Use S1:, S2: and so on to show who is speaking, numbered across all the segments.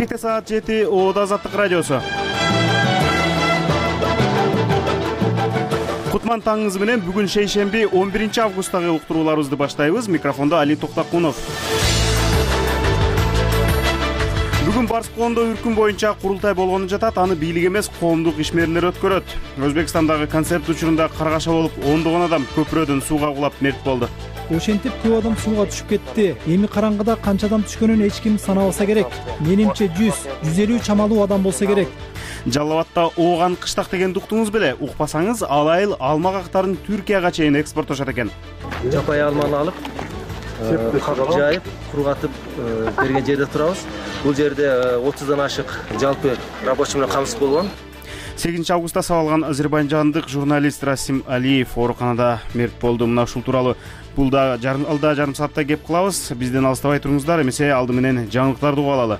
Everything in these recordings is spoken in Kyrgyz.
S1: Бишкекте саат 7, Оода Азаттык радиосу. Кутман таңыңыз менен бүгүн шейшемби 11 августтагы уктурууларыбызды баштайбыз. Микрофондо Али Токтакунов. Бүгүн Барскондо үркүн боюнча курултай болгону жатат. Аны бийлик эмес, коомдук ишмерлер өткөрөт. Өзбекстандагы концерт учурунда каргаша болуп, ондогон адам көпүрөдөн сууга кулап мерт болду.
S2: Ошентип көп адам сууга түшүп кетти. Эми караңгыда канча адам түшкөнүн эч ким санабаса керек. Менимче 100-150 чамалуу адам болсо керек.
S1: Жалал Абадта Ооган кыштак дегенди уктуңуз беле? Укпасаңыз, ал айыл алма кактарын Түркияга чейин экспорттошот экен.
S3: Жапай алманы алып, кап жайып, кургатып берген жерде турабыз. Бул жерде 30дан ашык жалпы рабочий менен камсыз болгон.
S1: 8 августта сабалган азербайжандык журналист Расим Алиев ооруканада мерт болду. Мына ушул тууралуу бул да жарым саатта кеп кылабыз. Бизден алыстабай туруңуздар, эмесе алды менен жаңылыктарды угуп алалы.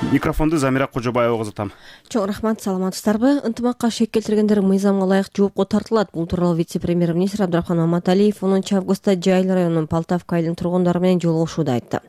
S1: Микрофонду Замира Кожобаева узатам.
S4: Чоң рахмат, саламатсыздарбы? Ынтымакка шек келтиргендер мыйзамга ылайык жоопко тартылат. Бул тууралуу вице-премьер-министр Абдрахман Маматалиев 10 августта Жайыл районунун Полтавка айылынын тургундары менен жолугушууда айтты.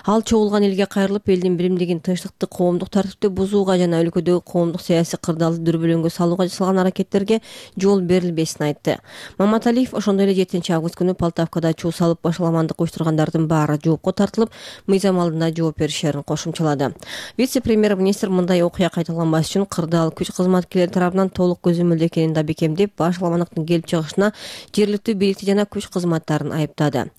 S4: Ал чогулган элге кайрылып, элдин биримдигин, тынчтыкты, коомдук тартипти бузууга жана өлкөдөгү коомдук саясий кырдаалды дүрбөлөңгө салууга жасалган аракеттерге жол берилбесин айтты. Маматалиев ошондой эле 7 август күнү Полтавкада чуу салып башаламандык уюштургандардын баары жоопко тартылып, мыйзам алдында жооп беришерин кошумчалады. Вице-премьер-министр мындай окуя кайталанбас үчүн кырдаал күч кызматкерлери тарабынан толук көзөмөлдө экенин да бекемдеп, башаламандыктын келип чыгышына жергиликтүү бийликти жана күч кызматтарын айыптады.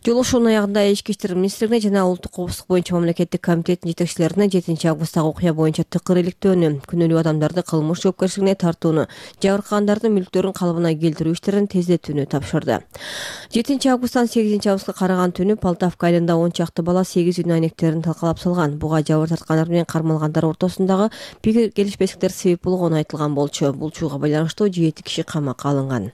S4: Жолугушуунун аягында Ички иштер министрлигине жана Улуттук коопсуздук боюнча мамлекеттик комитеттин жетекчилерине 7 августтагы окуя боюнча тыкыр иликтөөнү, күнөөлүү адамдарды кылмыш жоопкерчилигине тартууну, жабыркагандардын мүлктөрүн калыбына келтирүү иштерин тездетүүнү тапшырды. 7 августтан 8 августка караган түнү Полтавка айылында 10 чакты бала 8 үй айнектерин талкалап салган. Буга жабыр тарткандар менен кармалгандар ортосундагы пикир келишпестиктер себеп болгону айтылган болчу. Бул чууга байланыштуу 7 киши камакка алынган.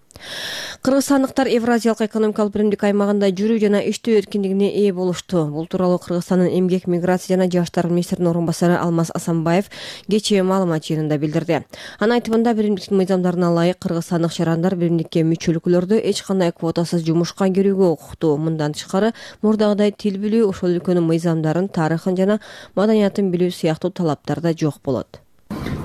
S4: Кыргызстандыктар Евразиялык экономикалык биримдик аймагында жүрүү жана иштөө эркиндигине ээ болушту. Бул тууралуу Кыргызстандын эмгек, миграция жана жаштар министринин орун басары Алмаз Асанбаев кечээ маалымат жыйынында билдирди. Анын айтымында биримдиктин мыйзамдарына ылайык кыргызстандык шарандар биримдикке мүчөлүклөрдө эч кандай квотасыз жумушка кирүүгө укуктуу. Мындан тышкары мурдагыдай тил билүү, ошол өлкөнүн мыйзамдарын, тарыхын жана маданиятын билүү сыяктуу талаптар да жок болот.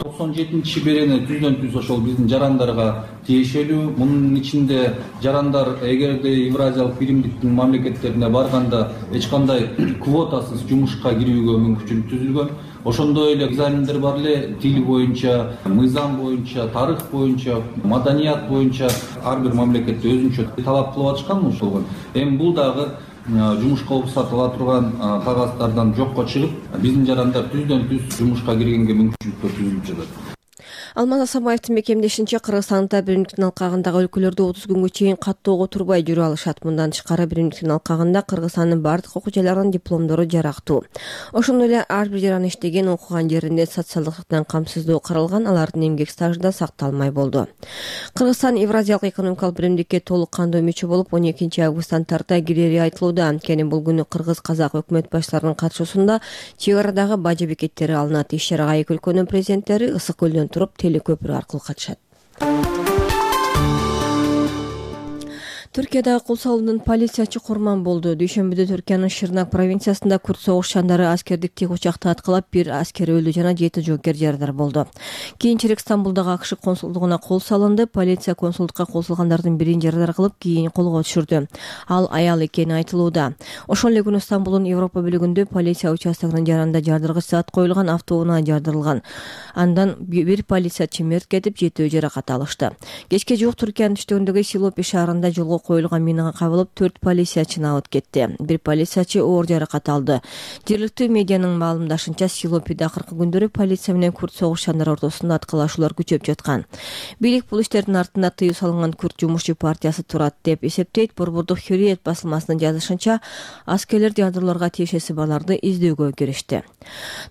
S5: 97-берени түздөн-түз ошол биздин жарандарга тиешелүү. Мунун ичинде жарандар эгерде Евразиялык биримдиктин мамлекеттерине барганда эч кандай квотасыз жумушка кирүүгө мүмкүнчүлүк түзүлгөн. Ошондой эле экзамендер бар эле, тил боюнча, мыйзам боюнча, тарых боюнча, маданият боюнча ар бир мамлекетте өзүнчө талап кылып атышкан ошол. Эми бул дагы жумушка уруксат ала турган кагаздардан жокко чыгып, биздин жарандар түздөн-түз жумушка киргенге мүмкүнчүлүктөр түзүлүп жатат.
S4: Алмаз Асанбаевдин бекемдешинче, Кыргызстанда биримдиктин алкагындагы өлкөлөрдө 30 күнгө чейин каттоого турбай жүрө алышат. Мындан тышкары биримдиктин алкагында Кыргызстандын бардык окуу жайларынын дипломдору жарактуу. Ошондой эле ар бир жаран иштеген, окуган жеринде социалдык жактан камсыздоо каралган, алардын эмгек стажы да сакталмай болду. Кыргызстан Евразиялык экономикалык биримдикке толук кандуу мүчө болуп 12 августтан тарта кирери айтылууда. Анткени бул күнү кыргыз-казак өкмөт башчыларынын катышуусунда чек арадагы бажа бекеттери алынат. Иш-чарага эки өлкөнүн президенттери Ысык көлдөн туруп телекөпүрө аркылуу катышат. Түркиядагы кул салуунун полициячы курман болду. Дүйшөмбүдө Түркиянын Шырнак провинциясында күрд согушчандары аскердик тик учакты аткылап, 1 аскер өлдү жана 7 жоокер жарадар болду. Кийинчерээк Стамбулдагы АКШ консулдугуна кол салынды. Полиция консулдукка косулгандардын бирин жарадар кылып, кийин колго түшүрдү. Ал аял экени айтылууда. Ошол эле күнү Стамбулдун Европа бөлүгүндө полиция участогунун жаранында жардыргыч зат коюлган автоунаа жардырылган. Андан 1 полициячы мерт кетип, 7 жаракат алышты. Кечке жуук Түркиянын түштүгүндөгү Силопи шаарында жолго коюлган минага кабылып 4 полициячыны алып кетти. 1 полициячы оор жаракат алды. Жергиликтүү медианын маалымдашынча, Силопиде акыркы күндөрү полиция менен күрд согушчандар ортосунда аткылашуулар күчөп жаткан. Бийлик бул иштердин артында тыюу салынган Күрд жумушчу партиясы турат деп эсептейт. Борбордук Хурриет басылмасынын жазышынча, аскерлер жардырларга тиешеси барларды издөөгө киришти.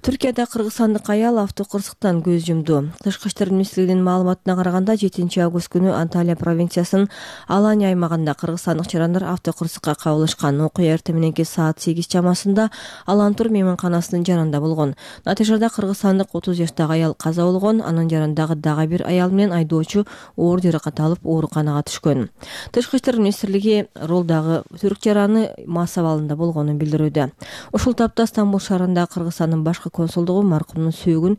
S4: Түркияда кыргызстандык аял автокырсыктан көз жумду. Тышкы иштер министрлигинин маалыматына караганда 7 август күнү Анталия провинциясынын Алания аймагында шаарында кыргызстандык жарандар автокырсыкка кабылышкан. Окуя эртең мененки саат 8 чамасында Алантур мейманканасынын жанында болгон. Натыйжада кыргызстандык 30 жаштагы аял каза болгон, анын жанындагы дагы бир аял менен айдоочу оор жаракат алып ооруканага түшкөн. Тышкы иштер министрлиги ролдагы түрк жараны мас абалында болгонун билдирүүдө. Ушул тапта Стамбул шаарында Кыргызстандын башкы консулдугу маркумдун сөөгүн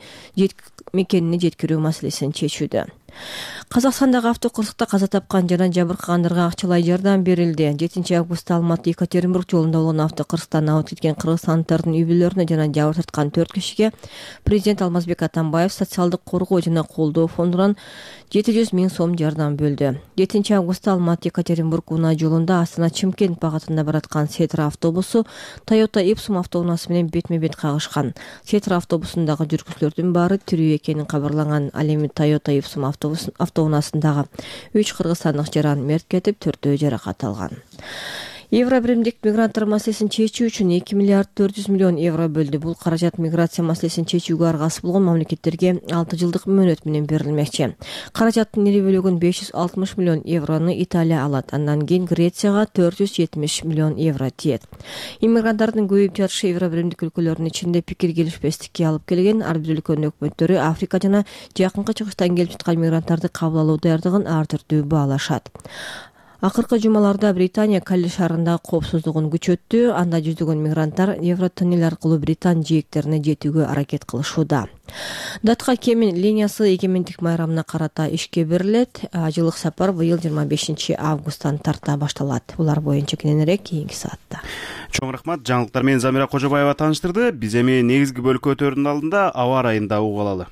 S4: мекенине жеткирүү маселесин чечүүдө. Казакстандагы автокырсыкта каза тапкан жана жабыркагандарга акчалай жардам берилди. 7 августта Алматы Екатеринбург жолунда болгон автокырсыктан абыт кеткен кыргызстандыктардын үй бүлөлөрүнө жана жабыр тарткан 4 кишиге президент Алмазбек Атамбаев социалдык коргоо жана колдоо фондунан 700 000 сом жардам бөлдү. 7 августта Алматы Екатеринбург унаа жолунда Астана Чымкент багытында бараткан Сетра автобусу Toyota Ipsum автоунаасы менен бетме-бет кагышкан. Сетра автобусундагы жүргүзүүлөрдүн баары тирүү экени кабарланган. Ал эми Toyota Ipsum автоунаасындагы 3 кыргызстандык жаран мерт кетип, 4-өө жаракат алган. Евро биримдик мигранттар маселесин чечүү үчүн 2 миллиард 400 миллион евро бөлдү. Бул каражат миграция маселесин чечүүгө аргасыз болгон мамлекеттерге 6 жылдык мөөнөт менен берилмекчи. Каражаттын ири бөлүгүн 560 миллион еврону Италия алат. Андан кийин Грецияга 470 миллион евро тиет. Иммигранттардын көбөйүп жатышы евро биримдик өлкөлөрдүн ичинде пикир келишпестикке алып келген. Ар бир өлкөнүн өкмөттөрү Африка жана Жакынкы Чыгыштан келип жаткан мигранттарды кабыл алуу даярдыгын ар түрдүү баалашат. Акыркы жумаларда Британия Калли шаарында коопсуздугун күчөттү. Анда жүздөгөн мигранттар Евротоннел аркылуу Британ жээктерине жетүүгө аракет кылышууда. Датка Кемин линиясы эгемендик майрамына карата ишке берилет. Жылдык сапар быйыл 25 августтан тарта башталат. Булар боюнча кененирээк кийинки саатта.
S1: Чоң рахмат. Жаңылыктар менен Замира Кожобаева тааныштырды. Биз эми негизги бөлүккө өтөөрдүн алдында аба ырайында угуп алалы.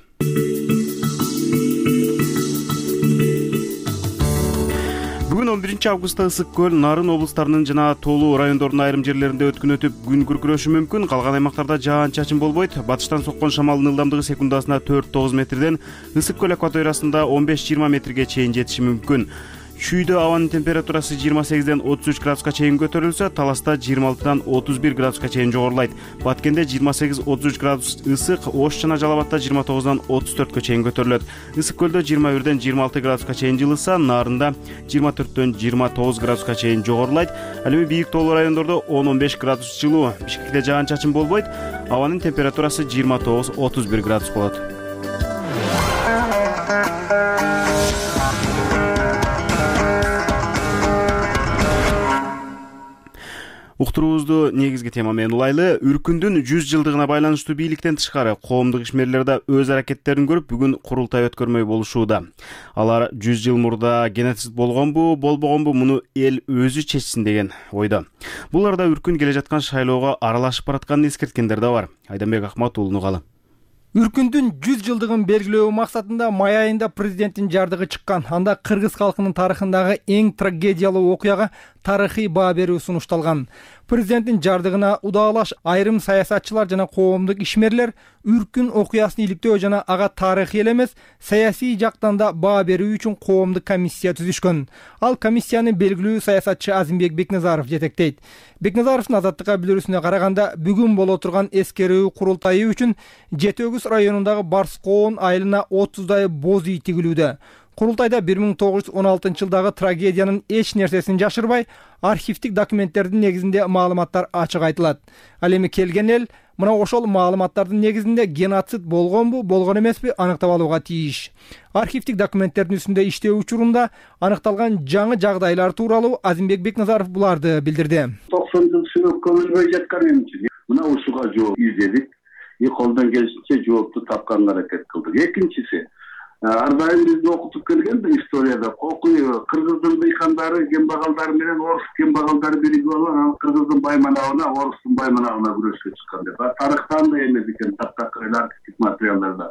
S1: Бүгүн 11 августта Ысык көл, Нарын облустарынын жана Тоолуу райондордун айрым жерлеринде өткүн өтүп, күн күркүрөшү мүмкүн. Калган аймактарда жаан-чачын болбойт. Батыштан соккон шамалдын ылдамдыгы секундасына 4-9 метрден Ысык көл акваториясында 15-20 метрге чейин жетиши мүмкүн. Чүйдө абанын температурасы 28ден 33 градуска чейин көтөрүлсө, Таласта 26дан 31 градуска чейин жогорулайт. Баткенде 28-33 градус ысык, Ош жана Жалал абадта 29дан 34кө чейин көтөрүлөт. Ысык көлдө 21ден 26 градуска чейин жылыса, Нарында 24дөн 29 градуска чейин жогорулайт. Ал эми бийик тоолуу райондордо 10-15 градус жылуу. Бишкекте жаан-чачын болбойт. Абанын температурасы 29-31 градус болот. Уктуруубузду негизги тема менен улайлы. Үркүндүн 100 жылдыгына байланыштуу бийликтен тышкары коомдук ишмерлер да өз аракеттерин көрүп, бүгүн курултай өткөрмөй болушууда. Алар 100 жыл мурда геноцид болгонбу, болбогонбу, муну эл өзү чечсин деген ойдо. Бул арада Үркүн келе жаткан шайлоого аралашып баратканын эскерткендер да бар. Айданбек Акматуулунун калы.
S2: Үркүндүн 100 жылдыгын белгилөө максатында май айында президенттин жардыгы чыккан. Анда кыргыз калкынын тарыхындагы эң трагедиялуу окуяга тарыхый баа берүү сунушталган. Президенттин жардыгына удаалаш айрым саясатчылар жана коомдук ишмерлер Үркүн окуясын иликтөө жана ага тарыхый эле эмес, саясий жактан да баа берүү үчүн коомдук комиссия түзүшкөн. Ал комиссияны белгилүү саясатчы Азимбек Бекназаров жетектейт. Бекназаровдун Азаттыкка билдирүүсүнө караганда, бүгүн боло турган эскерүү курултайы үчүн Жети Өгүз районундагы Барскоон айылына 30дай боз үй тигилүүдө. Курултайда 1916 жылдагы трагедиянын эч нерсесин жашырбай, архивдик документтердин негизинде маалыматтар ачык айтылат. Ал эми келген эл мына ошол маалыматтардын негизинде геноцид болгонбу, болгон эмеспи аныктап алууга тийиш. Архивдик документтердин үстүндө иштөө учурунда аныкталган жаңы жагдайлар тууралуу Азимбек Бекназаров буларды билдирди.
S6: 90 жыл сүрөп көмүлбөй жаткан эмчи. Мына ушуга жооп издедик. Колдон келишинче жоопту тапканга аракет кылдык. Экинчиси, ар дайым бизди окутуп келген историяда кыргыздын дыйкандары, кембагалдары менен орус кембагалдары биригип алып, кыргыздын байманагына, орустун байманагына күрөшкө чыккан деп. Тарыхтан да эмес экен, таптакыр архивдик материалдарда.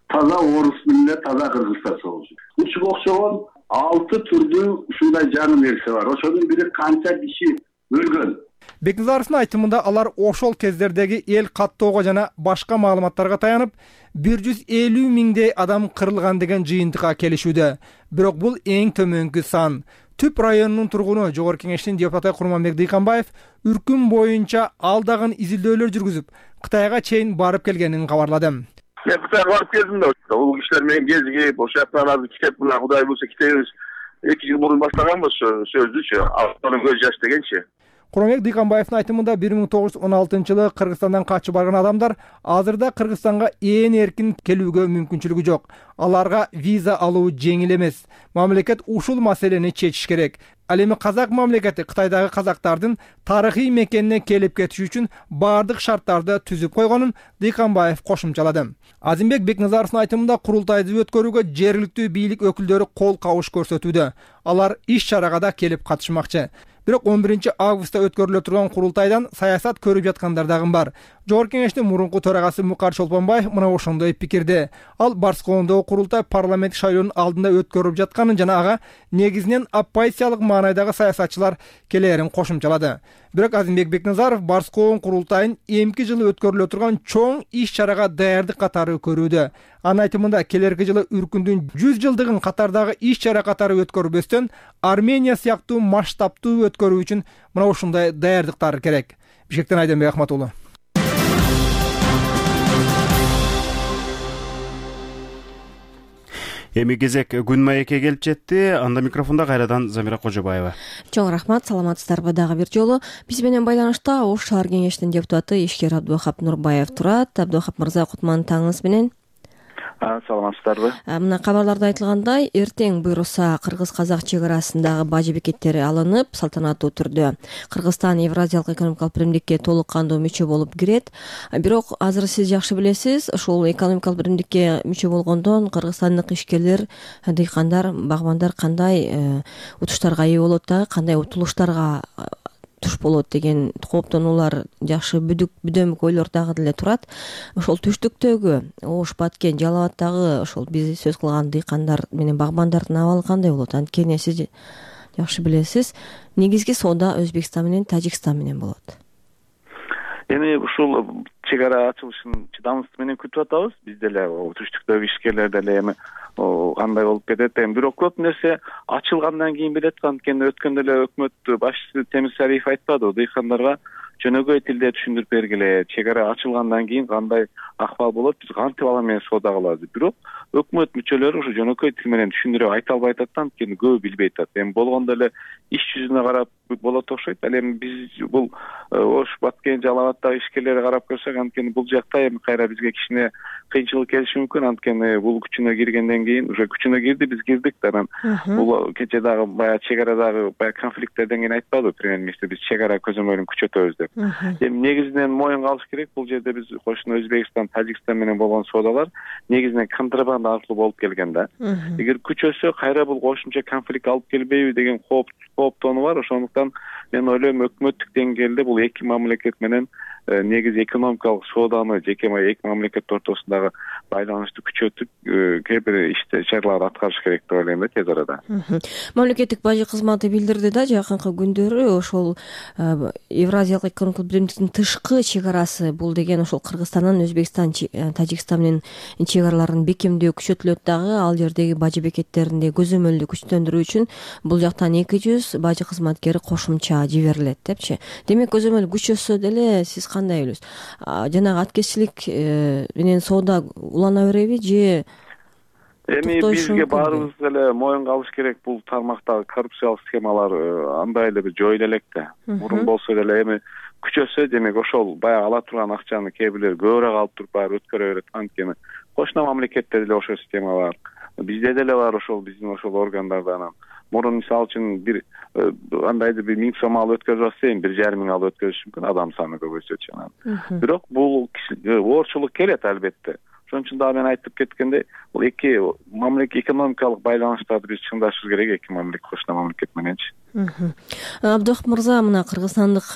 S6: Таза орус менен таза кыргызча согушу. Ушуга окшогон 6 түрдүү ушундай жаңы нерсе бар. Ошонун бири канча киши өлгөн.
S2: Бекназаровдун айтымында алар ошол кездердеги эл каттоого жана башка маалыматтарга таянып 150 миңдей адам кырылган деген жыйынтыкка келишүүдө. Бирок бул эң төмөнкү сан. Түп районунун тургуну Жогорку Кеңештин депутаты Курманбек Дыйканбаев Үркүн боюнча алдаган изилдөөлөр жүргүзүп, Кытайга чейин барып келгенин кабарлады.
S7: Мен Кытайга барып келдим да, ул кишилер менен кезигип, ошол жактан азыр кетип, мына Кудай буйрса кетебиз 2 жыл мурун баштаганбыз сөздүчү, анын көз жаш дегенчи.
S2: Куромбек Дыйканбаевдин айтымында 1916-жылы Кыргызстандан качып барган адамдар азырда Кыргызстанга эркин келүүгө мүмкүнчүлүгү жок. Аларга виза алуу жеңил эмес. Мамлекет ушул маселени чечиш керек. Ал эми казак мамлекети Кытайдагы казактардын тарыхый мекенине келип кетиш үчүн бардык шарттарды түзүп койгонун Дыйканбаев кошумчалады. Азимбек Бекназаровдун айтымында курултайды өткөрүүгө жергиликтүү бийлик өкүлдөрү кол кабыш көрсөтүүдө. Алар иш чарага да келип катышмакчы. Бирок 11 августта өткөрүлө турган курултайдан саясат көрүп жаткандар дагы бар. Жогорку кеңештин мурунку төрагасы Мукар Чолпонбаев мына ошондой пикирде. Ал Барскоондогу курултай парламент шайлоонун алдында өткөрүлүп жатканын жана ага негизинен оппозициялык маанайдагы саясатчылар келээрин кошумчалады. Бирок Азимбек Бекназаров Барскоон курултайын эмки жылы өткөрүлө турган чоң иш чарага даярдык катары көрүүдө. Анын айтымында келерки жылы Үркүндүн 100 жылдыгын катардагы иш чара катары өткөрбөстөн Армения сыяктуу масштабтуу өткөрүү үчүн мына ушундай даярдыктар керек. Бишкектен Айденбек Ахматуллу.
S1: Эми кезек күн маекке келип жетти. Анда микрофонда кайрадан Замира Кожобаева.
S4: Чоң рахмат, саламатсыздарбы дагы бир жолу. Биз менен байланышта Ош шаар кеңешинин депутаты ишкер Абдыхап Нурбаев турат. Абдыхап мырза, кутман таңыңыз менен.
S8: Саламатсыздарбы?
S4: Мына кабарларда айтылгандай, эртең буйруса кыргыз-казак чек арасындагы бажы бекеттери алынып, салтанаттуу түрдө Кыргызстан Евразиялык экономикалык биримдикке толук кандуу мүчө болуп кирет. Бирок азыр сиз жакшы билесиз, ушул экономикалык биримдикке мүчө болгондон кыргызстандык ишкерлер, дыйкандар, багбандар кандай утуштарга ээ болот дагы, кандай утулуштарга туш болот деген кооптонуулар, жакшы бүдөмүк ойлор дагы деле турат. Ошол түштүктөгү Ош, Баткен, Жалал Абаддагы ошол биз сөз кылган дыйкандар менен багбандардын абалы кандай болот? Анткени сиз жакшы билесиз, негизги соода Өзбекстан менен Тажикстан менен болот.
S8: Эми ушул чек ара ачылышын чыдамсыздык менен күтүп атабыз. Биз деле түштүктөгү ишкерлер деле эми кандай болуп кетет. Эми бирок көп нерсе ачылгандан кийин билет. Анткени өткөндө эле өкмөт башчысы Темир Сариев айтпады, дыйкандарга жөнөкөй тилде түшүндүрүп бергиле, чек ара ачылгандан кийин кандай акыбал болот, биз кантип ала менен соода кылабыз. Бирок өкмөт мүчөлөрү ушу жөнөкөй тил менен түшүндүрүп айта албай атат, анткени көбү билбей атат. Эми болгондо эле иш жүзүнө карап болот окшойт. Ал эми биз бул Ош, Баткен, Жалал Абаддагы ишкерлерге карап көрсөк, анткени бул жакта эми кайра бизге кичине кыйынчылык келиши мүмкүн. Анткени бул күчүнө киргенден кийин уже күчүнө кирди, биз кирдик. Анан бул кече дагы баягы чек арадагы конфликттерден кийин айтпадыбы премьер-министр, биз чек ара көзөмөлүн күчөтөбүз деп. Эми негизинен моюнга алыш керек. Бул жерде биз кошуна Өзбекстан, Тажикстан менен болгон соодалар негизинен контрабанда аркылуу болуп келген да. Эгер күчөсө кайра бул кошумча конфликт алып келбейби деген кооптонуу бар. Ошондуктан мен ойлойм, өкмөттүк деңгээлде бул эки мамлекет менен негизи экономикалык сооданы жеке эки мамлекет ортосундагы байланышты күчөтүп кээ бир иш-чараларды аткарыш керек деп ойлойм да тез арада.
S4: Мамлекеттик бажы кызматы билдирди да жакынкы күндөрү ошол Евразиялык экономикалык биримдиктин тышкы чек арасы бул деген ошол Кыргызстандан Өзбекстан, Тажикстан менен чек араларын бекемдөө күчөтүлөт дагы. Ал жердеги бажы бекеттеринде көзөмөлдү күчтөндүрүү үчүн бул жактан 200 бажы кызматкери кошумча жиберилет депчи. Демек көзөмөл күчөсө деле сиз кандай ойлойсуз? Жанагы аткезчилик менен соода улана береби же
S8: эми бизге баарыбызга эле моюнга алыш керек. Бул тармактагы коррупциялык схемалар андай эле бир жойула элек да. Мурун болсо деле эми күчөсө, демек ошол баягы ала турган акчаны кээ бирлер көбүрөөк алып туруп баары өткөрө берет. Анткени кошуна мамлекетте деле ошол система бар. Бизде деле бар ошол биздин ошол органдарда. Анан мурун мисалы үчүн бир андайды бир 1000 сом алып өткөрүп атса, эми 1,5 алып өткөрүш мүмкүн, адам саны көбөйсөчү. Бирок бул оорчулук келет албетте. Ошон үчүн дагы мен айтып кеткендей, бул эки мамлекет экономикалык байланыштарды биз чыңдашыбыз керек, эки мамлекет кошуна мамлекет мененчи.
S4: Абдыхап мырза, мына кыргызстандык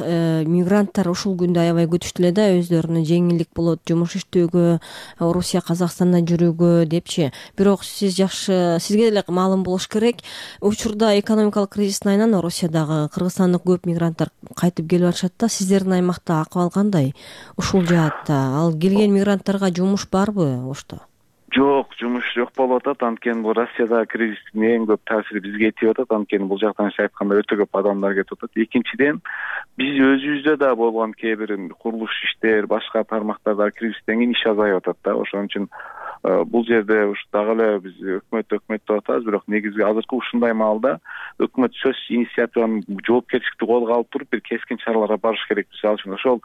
S4: мигранттар ушул күндү аябай күтүштү эле да, өздөрүнө жеңилдик болот жумуш иштөөгө, Орусия, Казакстандан жүрүүгө депчи. Бирок сиз жакшы, сизге деле маалым болуш керек, учурда экономикалык кризистин айынан Орусиядагы кыргызстандык көп мигранттар кайтып келип атышат да. Сиздердин аймакта акыбал кандай ушул жаатта? Ал келген мигранттарга жумуш барбы Ошто?
S8: Жок, жумуш жок болуп атат. Анткени бул Россиядагы кризистин эң көп таасири бизге тип атат. Анткени бул жактан айтканда өтө көп адамдар кетип атат. Экинчиден, биз өзүбүздө да болгон кээ бир курулуш иштер, башка тармактарда кризистен кийин иш азайып атат да. Ошон үчүн бул жерде ушу дагы эле биз өкмөт деп атабыз, бирок негизги азыркы ушундай маалда өкмөт сөз инициативаны жоопкерчиликти колго алып туруп бир кескин чараларга барыш керек. Мисалы үчүн ошол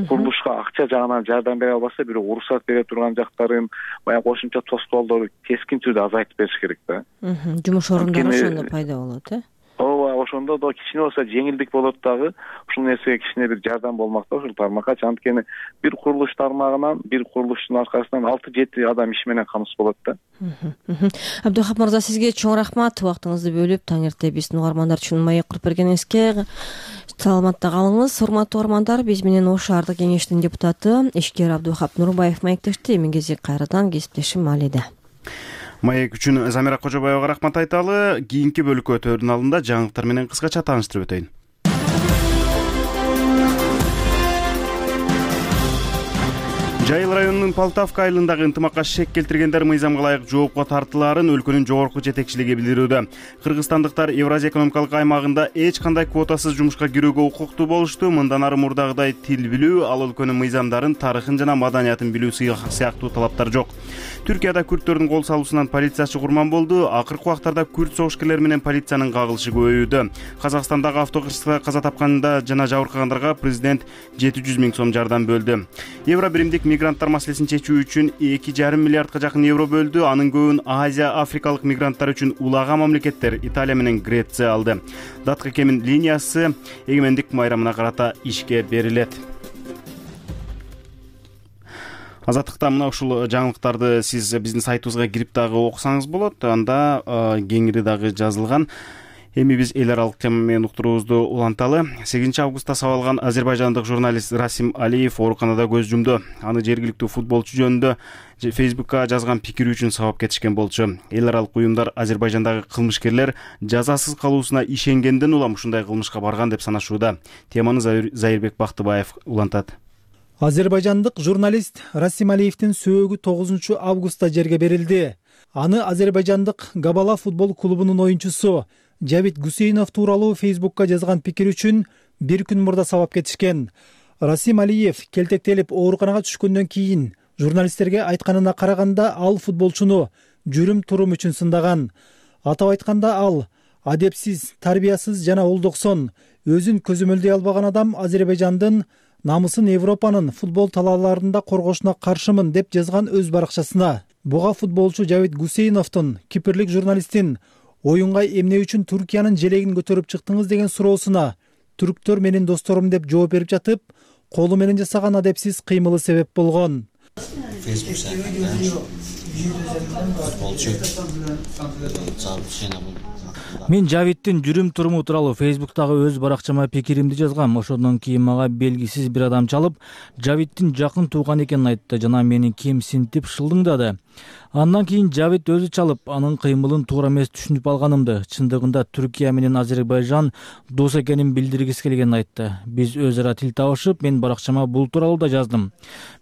S8: курулушка акча жагынан жардам бере албаса, бирок уруксат бере турган жактарын, баягы кошумча тоскоолдорду кескин түрдө азайтып бериш керек да.
S4: Жумуш орундары ошондо пайда болот,
S8: ооба, ошондо да кичине болсо жеңилдик болот дагы. Ушул нерсеге кичине бир жардам болмак да ушул тармакка. Анткени бир курулуш тармагынан, бир курулуштун аркасынан 6-7 адам иш менен камсыз болот да.
S4: Абдухап мырза, сизге чоң рахмат. Убактыңызды бөлүп таң эрте биздин угармандар үчүн маек куруп бергениңизге. Саламатта калыңыз. Урматтуу угармандар, биз менен Ош шаардык кеңештин депутаты ишкер Абдухап Нурбаев маектешти. Эмиңизи кайрадан кесиптешим Малиде.
S1: Маек үчүн Замира Кожобаевга рахмат айталы. Кийинки бөлүккө өтөөрдүн алдында жаңылыктар менен кыскача тааныштырып өтөйүн. Жайыл районунун Полтавка айылындагы ынтымакка шек келтиргендер мыйзамга ылайык жоопко тартылаарын өлкөнүн жогорку жетекчилиги билдирүүдө. Кыргызстандыктар Евразия экономикалык аймагында эч кандай квотасыз жумушка кирүүгө укуктуу болушту. Мындан ары мурдагыдай тил билүү, ал өлкөнүн мыйзамдарын, тарыхын жана маданиятын билүү сыяктуу талаптар жок. Түркияда күрттөрдүн кол салуусунан полициячы курман болду. Акыркы убактарда күрт согушкерлер менен полициянын кагылышы көбөйүүдө. Казакстандагы автокырсыкта каза тапканда жана жабыркагандарга президент 700 000 сом жардам бөлдү. Евро биримдик мигранттар маселесин чечүү үчүн 2,5 миллиардга жакын евро бөлдү. Анын көбүн Азия, Африкалык мигранттар үчүн улаган мамлекеттер Италия менен Греция алды. Даткы кемин линиясы эгемендик майрамына карата ишке берилет. Азаттыкта мына ушул жаңылыктарды сиз биздин сайтыбызга кирип дагы окусаңыз болот. Анда кеңири дагы жазылган. Эми биз эл аралык тема менен уктуруубузду уланталы. 8 августта сабалган азербайжандык журналист Расим Алиев ооруканада көз жумду. Аны жергиликтүү футболчу жөнүндө Facebook'ка жазган пикири үчүн сабап кетишкен болчу. Эл аралык уюмдар Азербайжандагы кылмышкерлер жазасыз калуусуна ишенгенден улам ушундай кылмышка барган деп санашууда. Теманы Зайырбек Бактыбаев улантат.
S2: Азербайжандык журналист Расим Алиевдин сөөгү 9 августта жерге берилди. Аны азербайжандык Габала футбол клубунун оюнчусу Жавид Гусейнов тууралуу Facebook'ка жазган пикири үчүн бир күн мурда сабап кетишкен. Расим Алиев келтектелип ооруканага түшкөндөн кийин журналисттерге айтканына караганда ал футболчуну жүрүм-турум үчүн сындаган. Атап айтканда ал адепсиз, тарбиясыз жана олдоксон, өзүн көзөмөлдөй албаган адам Азербайжандын намысын Европанын футбол талааларында коргошуна каршымын деп жазган өз баракчасына. Буга футболчу Жавид Гусейновдун кипрлик журналисттин оюнга эмне үчүн Түркиянын желегин көтөрүп чыктыңыз деген суроосуна түрктөр менин досторум деп жооп берип жатып, колу менен жасаган адепсиз кыймылы себеп болгон. Мен Жавидтин жүрүм-туруму тууралуу Facebook'тагы өз баракчама пикиримди жазгам. Ошондон кийин мага белгисиз бир адам чалып, Жавидтин жакын тууган экенин айтты жана мени кемсинтип шылдыңдады. Андан кийин Жавид өзү чалып, анын кыймылын туура эмес түшүнүп алганымды, чындыгында Түркия менен Азербайжан дос экенин билдиргиси келгенин айтты. Биз өз ара тил табышып, мен баракчама бул тууралуу да жаздым.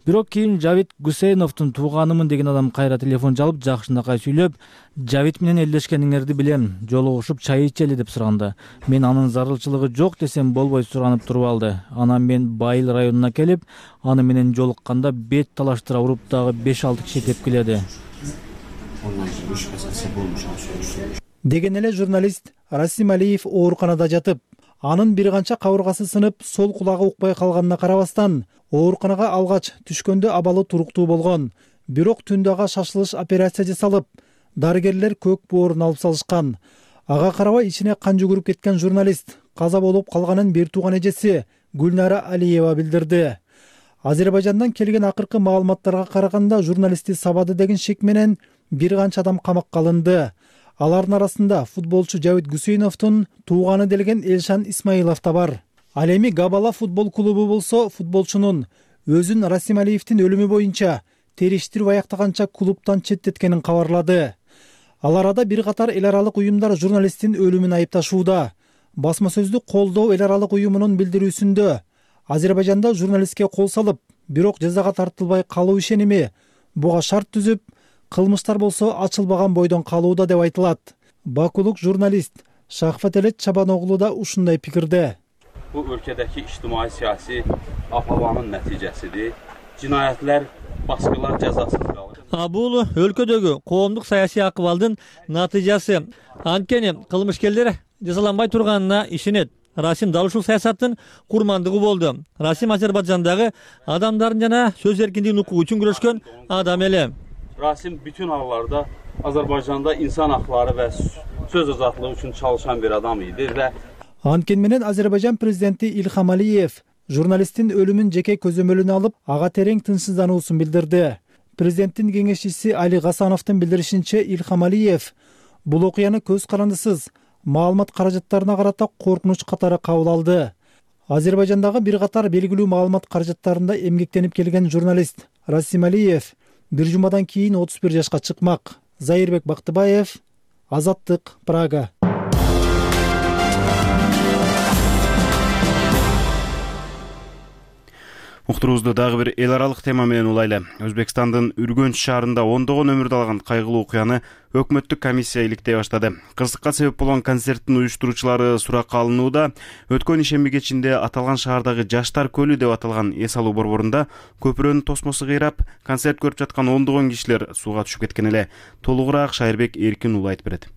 S2: Бирок кийин Жавид Гусейновдун тууганымын деген адам кайра телефон чалып, жакшынакай сүйлөп, Жавид менен элдешкениңерди билем, жолугушуп чай ичели деп сураганда, мен анын зарылчылыгы жок десем болбой суранып туруп алды. Анан мен Байыл районуна келип, аны менен жолукканда бет талаштыра уруп дагы 5-6 киши тепкиледи. Деген эле журналист Расим Алиев ооруканада жатып, анын бир канча кабыргасы сынып, сол кулагы укпай калганына карабастан, ооруканага алгач түшкөндө абалы туруктуу болгон. Бирок түндө ага шашылыш операция жасалып, дарыгерлер көк боорун алып салышкан. Ага карабай ичине кан жүгүрүп кеткен журналист каза болуп калганын бир тууган эжеси Гүлнара Алиева билдирди. Азербайжандан келген акыркы маалыматтарга караганда журналистти сабады деген шек менен бир канча адам камакка алынды. Алардын арасында футболчу Жавид Гусейновдун тууганы делген Элшан Исмаилов да бар. Ал эми Габала футбол клубу болсо футболчунун өзүн Расим Алиевдин өлүмү боюнча териштирип аяктаганча клубтан четтеткенин кабарлады. Ал арада бир катар эл аралык уюмдар журналисттин өлүмүн айыпташууда. Басма сөздүк колдоо эл аралык уюмунун билдирүүсүндө Азербайжанда журналистке кол салып, бирок жазага тартылбай калуу ишеними буга шарт түзүп, кылмыштар болсо ачылбаган бойдон калууда деп айтылат. Бакулук журналист Шахфателет Чабаногулу да ушундай пикирде.
S9: Bu ülkedeki ictimai siyasi apavanın neticesidir. Cinayetler, baskılar cezasız kalır.
S10: Бул өлкөдөгү коомдук саясий акыбалдын натыйжасы. Анткени кылмышкерлер жазаланбай турганына ишенет. Расим дал ушул саясаттын курмандыгы болду. Расим Азербайжандагы адамдардын жана сөз эркиндигин укугу үчүн күрөшкөн адам эле.
S9: Rasim bütün hallarda Azerbaycan'da insan hakları ve söz azadlığı için çalışan bir adam idi ve
S2: Анткени менен Азербайжан президенти Илхам Алиев журналисттин өлүмүн жеке көзөмөлүнө алып, ага терең тынчсыздануусун билдирди. Президенттин кеңешчиси Али Гасановдун билдиришинче, Илхам Алиев бул окуяны көз карандысыз маалымат каражаттарына карата коркунуч катары кабыл алды. Азербайжандагы бир катар белгилүү маалымат каражаттарында эмгектенип келген журналист Расим Алиев бир жумадан кийин 31 жашка чыкмак. Зайырбек Бактыбаев, Азаттык, Прага.
S1: Уктурубузду дагы бир эл аралык тема менен улайлы. Өзбекстандын Үргөнч шаарында ондогон өмүрдү алган кайгылуу окуяны өкмөттүк комиссия иликтей баштады. Кырсыкка себеп болгон концерттин уюштуруучулары суракка алынууда. Өткөн ишемби кечинде аталган шаардагы Жаштар көлү деп аталган эс алуу борборунда көпүрөнүн тосмосу кыйрап, концерт көрүп жаткан ондогон кишилер сууга түшүп кеткен эле. Толугураак Шайырбек Эркин уулу айтып берет.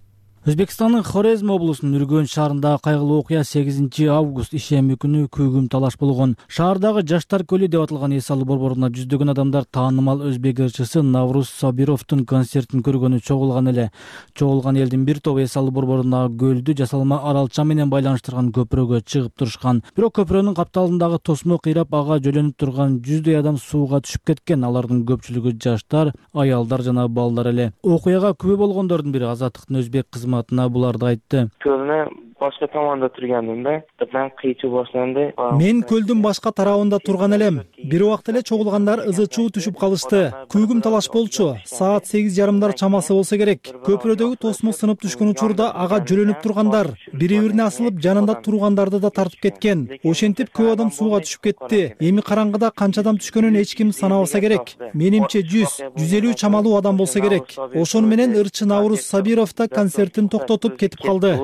S11: Өзбекстандын Хорезм облусунун Үргөнч шаарындагы кайгылуу окуя 8 август ишемби күнү күйгүм талаш болгон. Шаардагы Жаштар көлү деп аталган эс алуу борборуна жүздөгөн адамдар таанымал өзбек ырчысы Навруз Сабировдун концертин көргөнү чогулган эле. Чогулган элдин бир тобу эс алуу борборундагы көлдү жасалма аралча менен байланыштырган көпүрөгө чыгып турушкан. Бирок көпүрөнүн капталындагы тосмо кыйрап, ага жөлөнүп турган 100дөй адам сууга түшүп кеткен. Алардын көпчүлүгү жаштар, аялдар жана балдар эле. Окуяга күбө болгондордун бири Азаттыктын өзбек кызматына буларды айтты.
S12: Башка таманда тургандымда, мен кыйчуу башланды.
S2: Мен көлдүн башка тарабында турган элем. Бир убакта эле чогулгандар ызы-чуу түшүп калышты. Күйгүм талаш болчу. Саат 8:30 чамасы болсо керек. Көпүрөдөгү тосмо сынып түшкөн учурда ага жөлөнүп тургандар, бири-бирине асылып жанында тургандарды да тартып кеткен. Ошентип көп адам сууга түшүп кетти. Эми караңгыда канча адам түшкөнүн эч ким санабаса керек. Менимче 100-150 чамалуу адам болсо керек. Ошону менен ырчы Навруз Сабиров да концертин токтотуп кетип калды.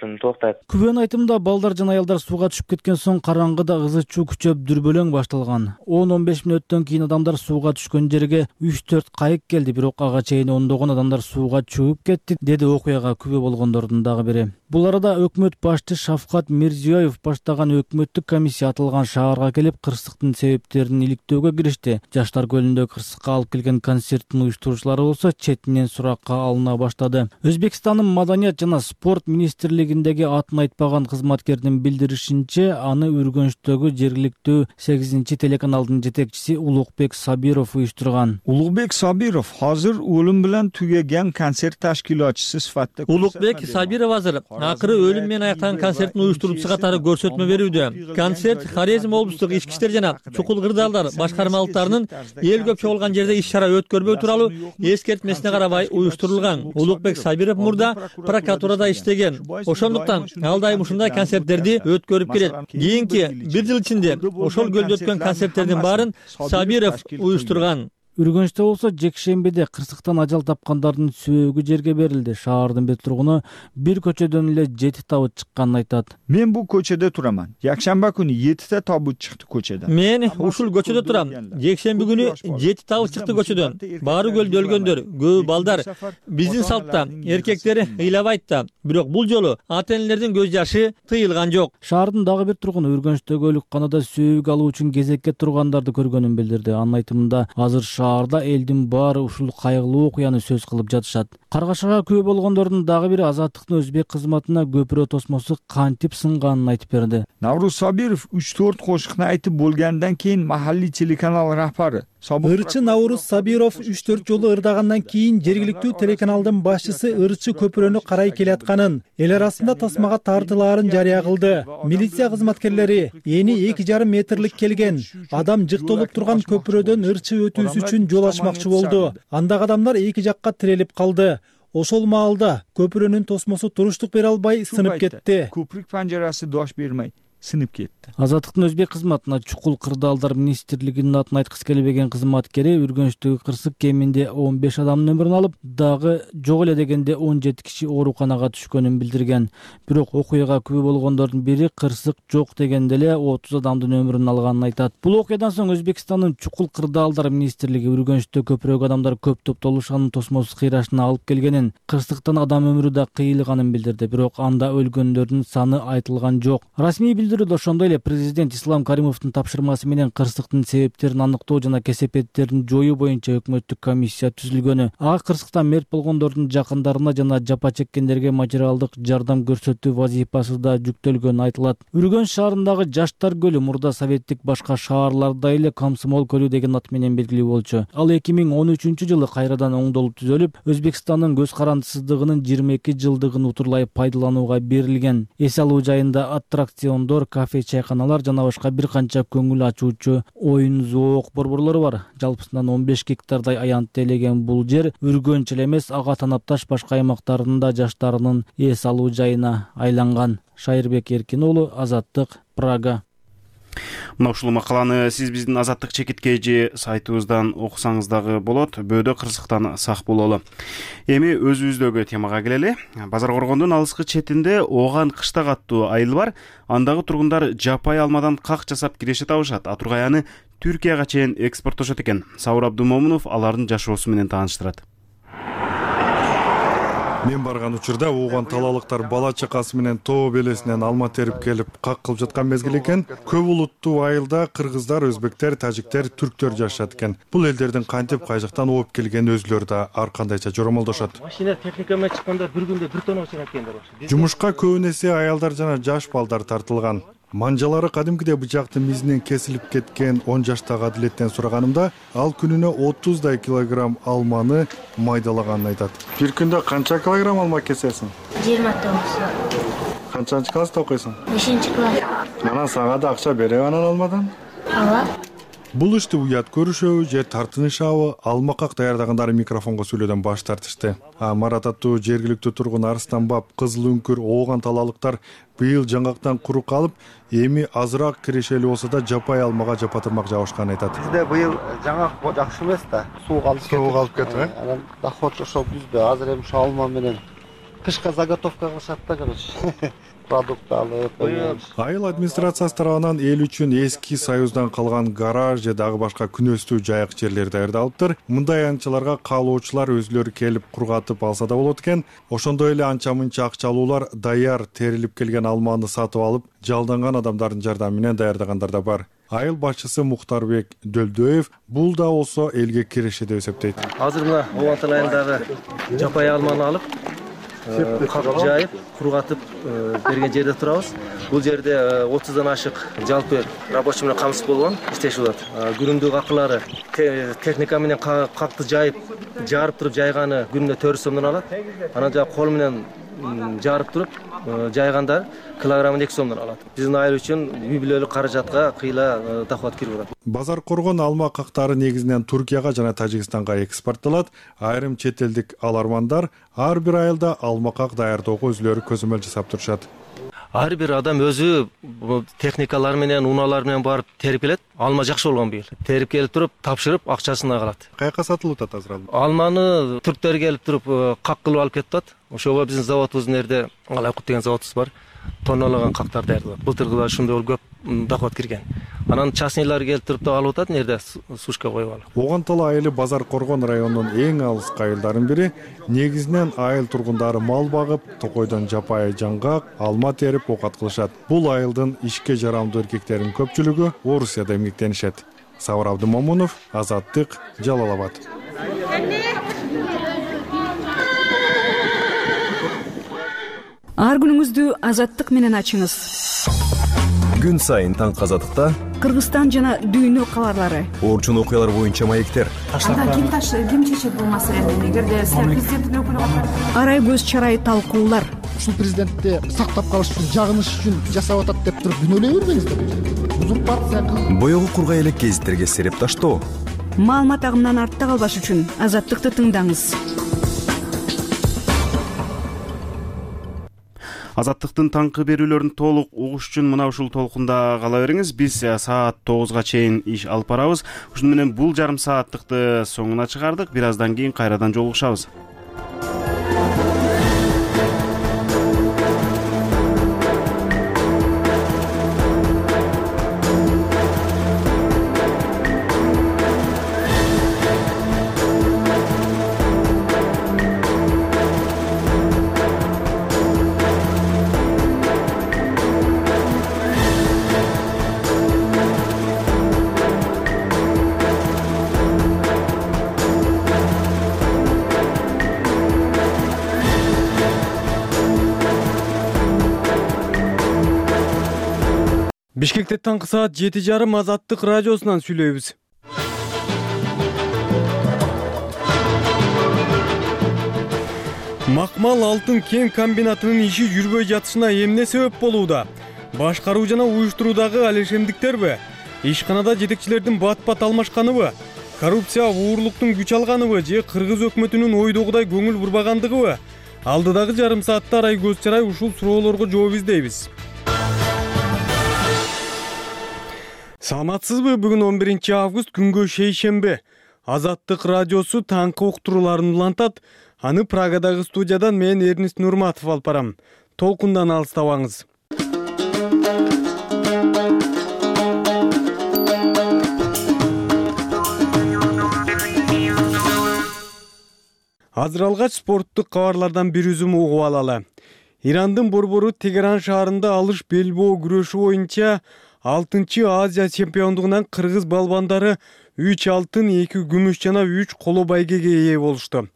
S11: Күбөнүн айтымында балдар жана аялдар сууга түшүп кеткен соң караңгыда ызы-чуу күчөп дүрбөлөң башталган. 10-15 мүнөттөн кийин адамдар сууга түшкөн жерге 3-4 кайык келди, бирок ага чейин ондогон адамдар сууга чөгүп кетти, деди окуяга күбө болгондордун дагы бири. Бул арада өкмөт башчы Шавкат Мирзиёев баштаган өкмөттүк комиссия аталган шаарга келип, кырсыктын себептерин иликтөөгө киришти. Жаштар көлүндө кырсыкка алып келген концерттин уюштуруучулары болсо четинен суракка алына баштады. Өзбекстандын маданият жана спорт министрлигиндеги атын айтпаган кызматкердин билдиришинче, аны Үргөнчтөгү жергиликтүү 8 телеканалдын жетекчиси Улукбек Сабиров уюштурган.
S13: Улукбек Сабиров азыр өлүм менен түгөгөн концерт ташкилатчысы сыфатта.
S10: Улукбек Сабиров азыр акыры өлүм менен аяктаган концерттин уюштуруучусу катары көрсөтмө берүүдө. Концерт Хорезм облустук ички иштер жана чукул кырдаалдар башкармалыктарынын эл көп чогулган жерде иш-чара өткөрбөө тууралуу эскертмесине карабай уюштурулган. Улукбек Сабиров мурда прокуратурада иштеген. Ошондуктан ал дайым ушундай концерттерди өткөрүп келет. Кийинки 1 жыл ичинде ошол көлдө өткөн концерттердин баарын Сабиров уюштурган.
S11: Үргөнчтө болсо жекшембиде кырсыктан ажал тапкандардын сөөгү жерге берилди. Шаардын бир тургуну бир көчөдөн эле 7 табыт чыкканын айтат.
S13: Мен бул көчөдө тураман. Жакшемби күнү 7 табыт чыкты көчөдөн.
S10: Мен ушул көчөдө турам. Жекшемби күнү 7 табыт чыкты көчөдөн. Баары көлдө өлгөндөр, көбү балдар. Биздин салтта эркектер ыйлабайт да, бирок бул жолу ата-энелердин көз жашы тыйылган жок.
S11: Шаардын дагы бир тургуну Үргөнчтөгү өлүкканада сөөгү алуу үчүн кезекке тургандарды көргөнүн билдирди. Анын айтымында азыр шаарда элдин баары ушул кайгылуу окуяны сөз кылып жатышат. Каргашага күбө болгондордун дагы бири Азаттыктын өзбек кызматына көпүрө тосмосу кантип сынганын айтып берди.
S13: Навруз Сабиров 3-4 кошукну айтып болгондон кийин махаллий телеканал рахбары
S2: Ырчы Навруз Сабиров 3-4 жолу ырдагандан кийин жергиликтүү телеканалдын башчысы ырчы көпүрөнү карай келатканын, эл арасында тасмага тартылаарын жарыя кылды. Милиция кызматкерлери эни 2,5 метрлик келген адам жыктолуп турган көпүрөдөн ырчы өтүүсү үчүн жол ачмакчы болду. Андагы адамдар эки жакка тирелип калды. Ошол маалда көпүрөнүн тосмосу туруштук бере албай сынып кетти.
S13: Көпүрүк панжарасы дош бермей сынып кетти.
S11: Азаттыктын өзбек кызматына чукул кырдаалдар министрлигинин атын айткысы келбеген кызматкери Үргөнчтөгү кырсык кеминде 15 адамдын өмүрүн алып, дагы жок эле дегенде 17 киши ооруканага түшкөнүн билдирген. Бирок окуяга күбө болгондордун бири кырсык жок дегенде эле 30 адамдын өмүрүн алганын айтат. Бул окуядан соң Өзбекстандын чукул кырдаалдар министрлиги Үргөнчтө көпүрөөк адамдар көп топтолушканын тосмосуз кыйрашына алып келгенин, кырсыктан адам өмүрү да кыйылганын билдирди, бирок анда өлгөндөрдүн саны айтылган жок. Расмий билдирүүдө ошондой эле президент Ислам Каримовдун тапшырмасы менен кырсыктын себептерин аныктоо жана кесепеттерин жоюу боюнча өкмөттүк комиссия түзүлгөнү. Ага кырсыктан мерт болгондордун жакындарына жана жапа чеккендерге материалдык жардам көрсөтүү вазифасы да жүктөлгөнү айтылат. Үргөнч шаарындагы Жаштар көлү мурда советтик башка шаарларда эле Комсомол көлү деген ат менен белгилүү болчу. Ал 2013-жылы кайрадан оңдолуп түзөлүп, Өзбекстандын көз карандысыздыгынын 22 жылдыгын утурлай пайдаланууга берилген. Эс алуу жайында аттракциондор, кафе, чайканалар жана башка бир канча көңүл ачуучу оюн зоок борборлору бар. Жалпысынан 15 гектардай аянтты элеген бул жер Үргөнч эле эмес, ага танапташ башка аймактардын да жаштарынын эс алуу жайына айланган. Шайырбек Эркин уулу, Азаттык, Прага.
S1: Мына ушул макаланы сиз биздин Азаттык чекиткежи сайтыбыздан окусаңыз дагы болот. Бөөдө кырсыктан сак бололу. Эми өзүбүздөгү темага келели. Базар Коргондун алыскы четинде Ооган кыштак аттуу айыл бар. Андагы тургундар жапай алмадан как жасап киреше табышат. Атургай аны Түркияга чейин экспорттошот экен. Сауыр Абдумомунов алардын жашоосу менен тааныштырат.
S14: Мен барган учурда Ооган талалыктар бала чакасы менен тоо белесинен алма терип келип как кылып жаткан мезгил экен. Көп улуттуу айылда кыргыздар, өзбектер, тажиктер, түрктөр жашашат экен. Бул элдердин кантип кай жактан ооп келгени өзүлөрү да ар кандайча жоромолдошот.
S3: Машина техника менен чыкканда бир күндө 1 тонна чыгат экендер.
S14: Жумушка көбүн эсе аялдар жана жаш балдар тартылган. Манжалары кадимкидей бычактын мизинен кесилип кеткен 10 жаштагы Адилеттен сураганымда, ал күнүнө 30 килограмм алманы майдалаганын айтат. Бир күндө канча килограмм алма кесесиң?
S15: 29.
S14: Канчанчы класста окуйсуң?
S15: 5-класс.
S14: Анан сага да акча береби анан алмадан?
S15: Ооба.
S14: Бул ишти уят көрүшөбү же тартынышабы, алмакак даярдагандары микрофонго сүйлөөдөн баш тартышты. Марат аттуу жергиликтүү тургун Арстанбап, Кызыл үңкүр, Ооган талалыктар быйыл жаңгактан куру калып, эми азыраак кирешели болсо да жапай алмага жапатырмак жабышканын айтат.
S16: Бизде быйыл жаңгак жакшы эмес да, суу калып кетти. Анан доход ошо бизде азыр эми ошо алма менен кышка заготовка кылышат да, короче. Продукт алып.
S14: Айыл администрациясы тарабынан эл үчүн эски союздан калган гараж же дагы башка күнөстүү жайык жерлер даярдалыптыр. Мындай анчаларга каалоочулар өзүлөрү келип кургатып алса да болот экен. Ошондой эле анча-мынча акчалуулар даяр терилип келген алманы сатып алып, жалданган адамдардын жардамы менен даярдагандар да бар. Айыл башчысы Мухтарбек Дөлдөев бул да болсо элге киреше деп эсептейт.
S3: Азыр мына Ооган айылдагы жапай алманы алып, кагып жайып, кургатып берген жерде турабыз. Бул жерде 30дан ашык жалпы рабочий менен камсыз болгон иштешип атат. Күрүндүк акылары техника менен какты жайып, жарып туруп жайганы күнүнө 400 сомдон алат. Анан жа кол менен жарып туруп жайгандар килограммын 2 сомдон алат. Биздин айыл үчүн үй бүлөлүк каражатка кыйла доход кирип атат.
S14: Базар Коргон алма кактары негизинен Туркияга жана Тажикстанга экспорттолот. Айрым чет элдик алармандар ар бир айылда алма как даярдоого өзүлөрү көзөмөл жасап турушат.
S3: Ар бир адам өзү техникалар менен, унаалар менен барып терип келет. Алма жакшы болгон быйыл. Терип келип туруп, тапшырып, акчасын алат.
S14: Каяка сатылып атат азыр алма?
S3: Алманы түрктөр келип туруп, как кылып алып кетип атат. Ошого биздин заводубуздун жерде Алайкут деген заводубуз бар. Тонналаган кактар даярдалат. Былтыргыда ушундай көп доход кирген. Анан частныйлар келип туруп да алып атат, нерде сушка коюп алып.
S14: Ооган тала айылы Базар Коргон районунун эң алыскы айылдарын бири. Негизинен айыл тургундары мал багып, токойдон жапай жаңгак, алма терип окат кылышат. Бул айылдын ишке жарамдуу эркектеринин көпчүлүгү Орусияда эмгектенишет. Сауыр Абдумомунов, Азаттык, Жалал Абад.
S17: Ар күнүңүздү Азаттык менен ачыңыз.
S18: Күн сайын таңкы Азаттыкта
S17: Кыргызстан жана дүйнө кабарлары,
S18: орчун окуялар боюнча маектер.
S17: Ким чечет бул маселени? Эгерде президенттин өкүлү арай көз чарай талкуулар.
S19: Ушул президентти сактап калыш үчүн, жагыныш үчүн жасап атат деп туруп күнөөлөй бербеңиздер. Узурпация.
S18: Боёгу кургай элек гезиттерге сереп таштоо.
S17: Маалымат агымынан артта калбаш үчүн Азаттыкты тыңдаңыз.
S1: Азаттыктын таңкы берүүлөрүн толук угуш үчүн мына ушул толкунда кала бериңиз. Биз саат 9-га чейин иш алып барабыз. Ушуну менен бул жарым сааттыкты соңуна чыгардык. Бир аздан кийин кайрадан жолугушабыз.
S20: Бишкекте таңкы саат 7:30 Азаттык радиосунан сүйлөйбүз. Макмал алтын кен комбинатынын иши жүрбөй жатышына эмне себеп болууда? Башкаруу жана уюштуруудагы алешемдиктерби? Ишканада жетекчилердин бат-бат алмашканыбы? Коррупция, уурлуктун күч алганыбы же кыргыз өкмөтүнүн ойдогудай көңүл бурбагандыгыбы? Алдыдагы жарым саатта Арай Көз Чарай ушул суроолорго жооп издейбиз. Саламатсызбы? Бүгүн 11 август күнгө шейшембе. Азаттык радиосу таңкы уктурууларын улантат. Аны Прагадагы студиядан мен Эрнист Нурматов алып барам. Толкундан алыстабаңыз. Азыр алгач спорттук кабарлардан бир үзүм угуп алалы. Ирандын борбору Тегеран шаарында алыш белбоо күрөшү боюнча 6-чы Азия чемпиондугунан кыргыз балбандары 3 алтын, 2 күмүш жана 3 коло байгеге ээ болушту.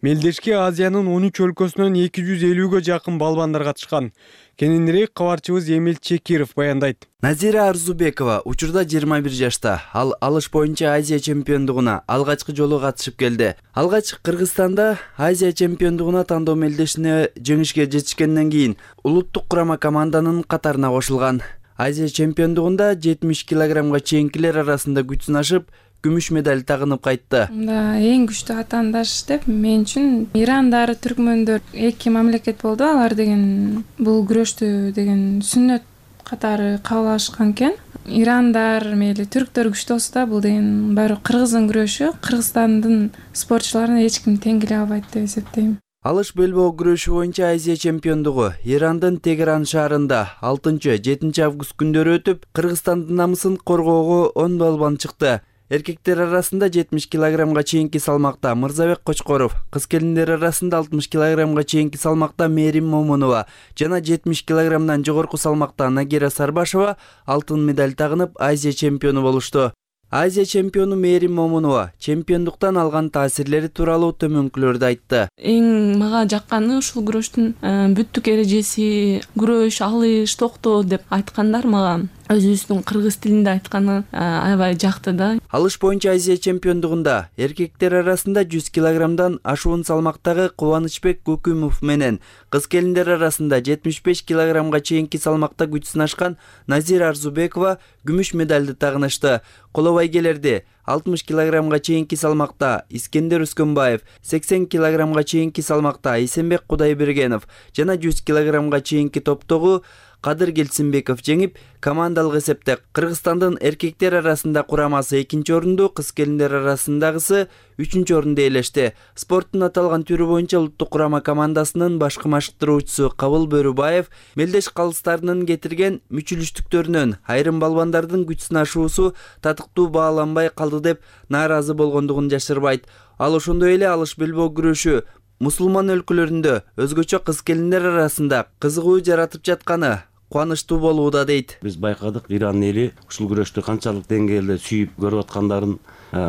S20: Мелдешке Азиянын 13 өлкөсүнөн 250гө жакын балбандар катышкан. Кененирээк кабарчыбыз Эмил Чекиров баяндайт.
S21: Назира Арзубекова учурда 21 жашта. Ал алыш боюнча Азия чемпиондугуна алгачкы жолу катышып келди. Алгач Кыргызстанда Азия чемпиондугуна тандоо мелдешине жеңишке жетишкенден кийин улуттук курама команданын катарына кошулган. Азия чемпиондугунда 70 килограммга чейинкилер арасында күч сынашып, күмүш медаль тагынып кайтты.
S22: Эң күчтүү атаандаш деп мен үчүн ирандар, түркмөндөр эки мамлекет болду. Алар деген бул күрөштү деген сүннөт катары кабыл алышкан экен. Ирандар, мейли түрктөр күчтүү болсо да, бул деген баары кыргыздын күрөшү, Кыргызстандын спортчуларына эч ким тең келе албайт деп эсептейм.
S21: Алыш белбоо күрөшү боюнча Азия чемпиондугу Ирандын Тегеран шаарында 6-7 август күндөрү өтүп, Кыргызстандын намысын коргоого 10 балбан чыкты. Эркектер арасында 70 килограммга чейинки салмакта Мырзабек Кочкоров, кыз келиндер арасында 60 килограммга чейинки салмакта Мерим Момунова жана 70 килограммдан жогорку салмакта Нагира Сарбашева алтын медаль тагынып Азия чемпиону болушту. Азия чемпиону Мерим Момунова чемпиондуктан алган таасирлери тууралуу төмөнкүлөрдү айтты.
S23: Эң мага жакканы ушул күрөштүн бүттүк эрежеси, күрөш, алыш, токтоо деп айткандар мага. Өзүбүздүн кыргыз тилинде айтканы аябай жакты да.
S21: Алыш боюнча Азия чемпиондугунда эркектер арасында 100 килограммдан ашуун салмактагы Кубанычбек Көкүмов менен кыз келиндер арасында 75 килограммга чейинки салмакта күч сынашкан Назира Арзубекова күмүш медальды тагынышты. Коло байгелерди 60 килограммга чейинки салмакта Искендер Өскөнбаев, 80 килограммга чейинки салмакта Эсенбек Кудайбергенов жана 100 килограммга чейинки топтогу Кадыр Келсинбеков жеңип, командалык эсепте Кыргызстандын эркектер арасында курамасы 2-нчи орунду, кыз келиндер арасындагысы 3-нчү орунду ээлешти. Спорттун аталган түрү боюнча улуттук курама командасынын башкы машыктыруучусу Кабыл Бөрүбаев мелдеш калыстарынын кетирген мүчүлүштүктөрүнөн айрым балбандардын күч сынашуусу татыктуу бааланбай калды деп нааразы болгондугун жашырбайт. Ал ошондой эле алыш белбоо күрөшү мусулман өлкөлөрүндө өзгөчө кыз келиндер арасында кызыгуу жаратып жатканы кубанычтуу болууда дейт.
S24: Биз байкадык, Иран эли ушул күрөштү канчалык деңгээлде сүйүп көрүп аткандарын,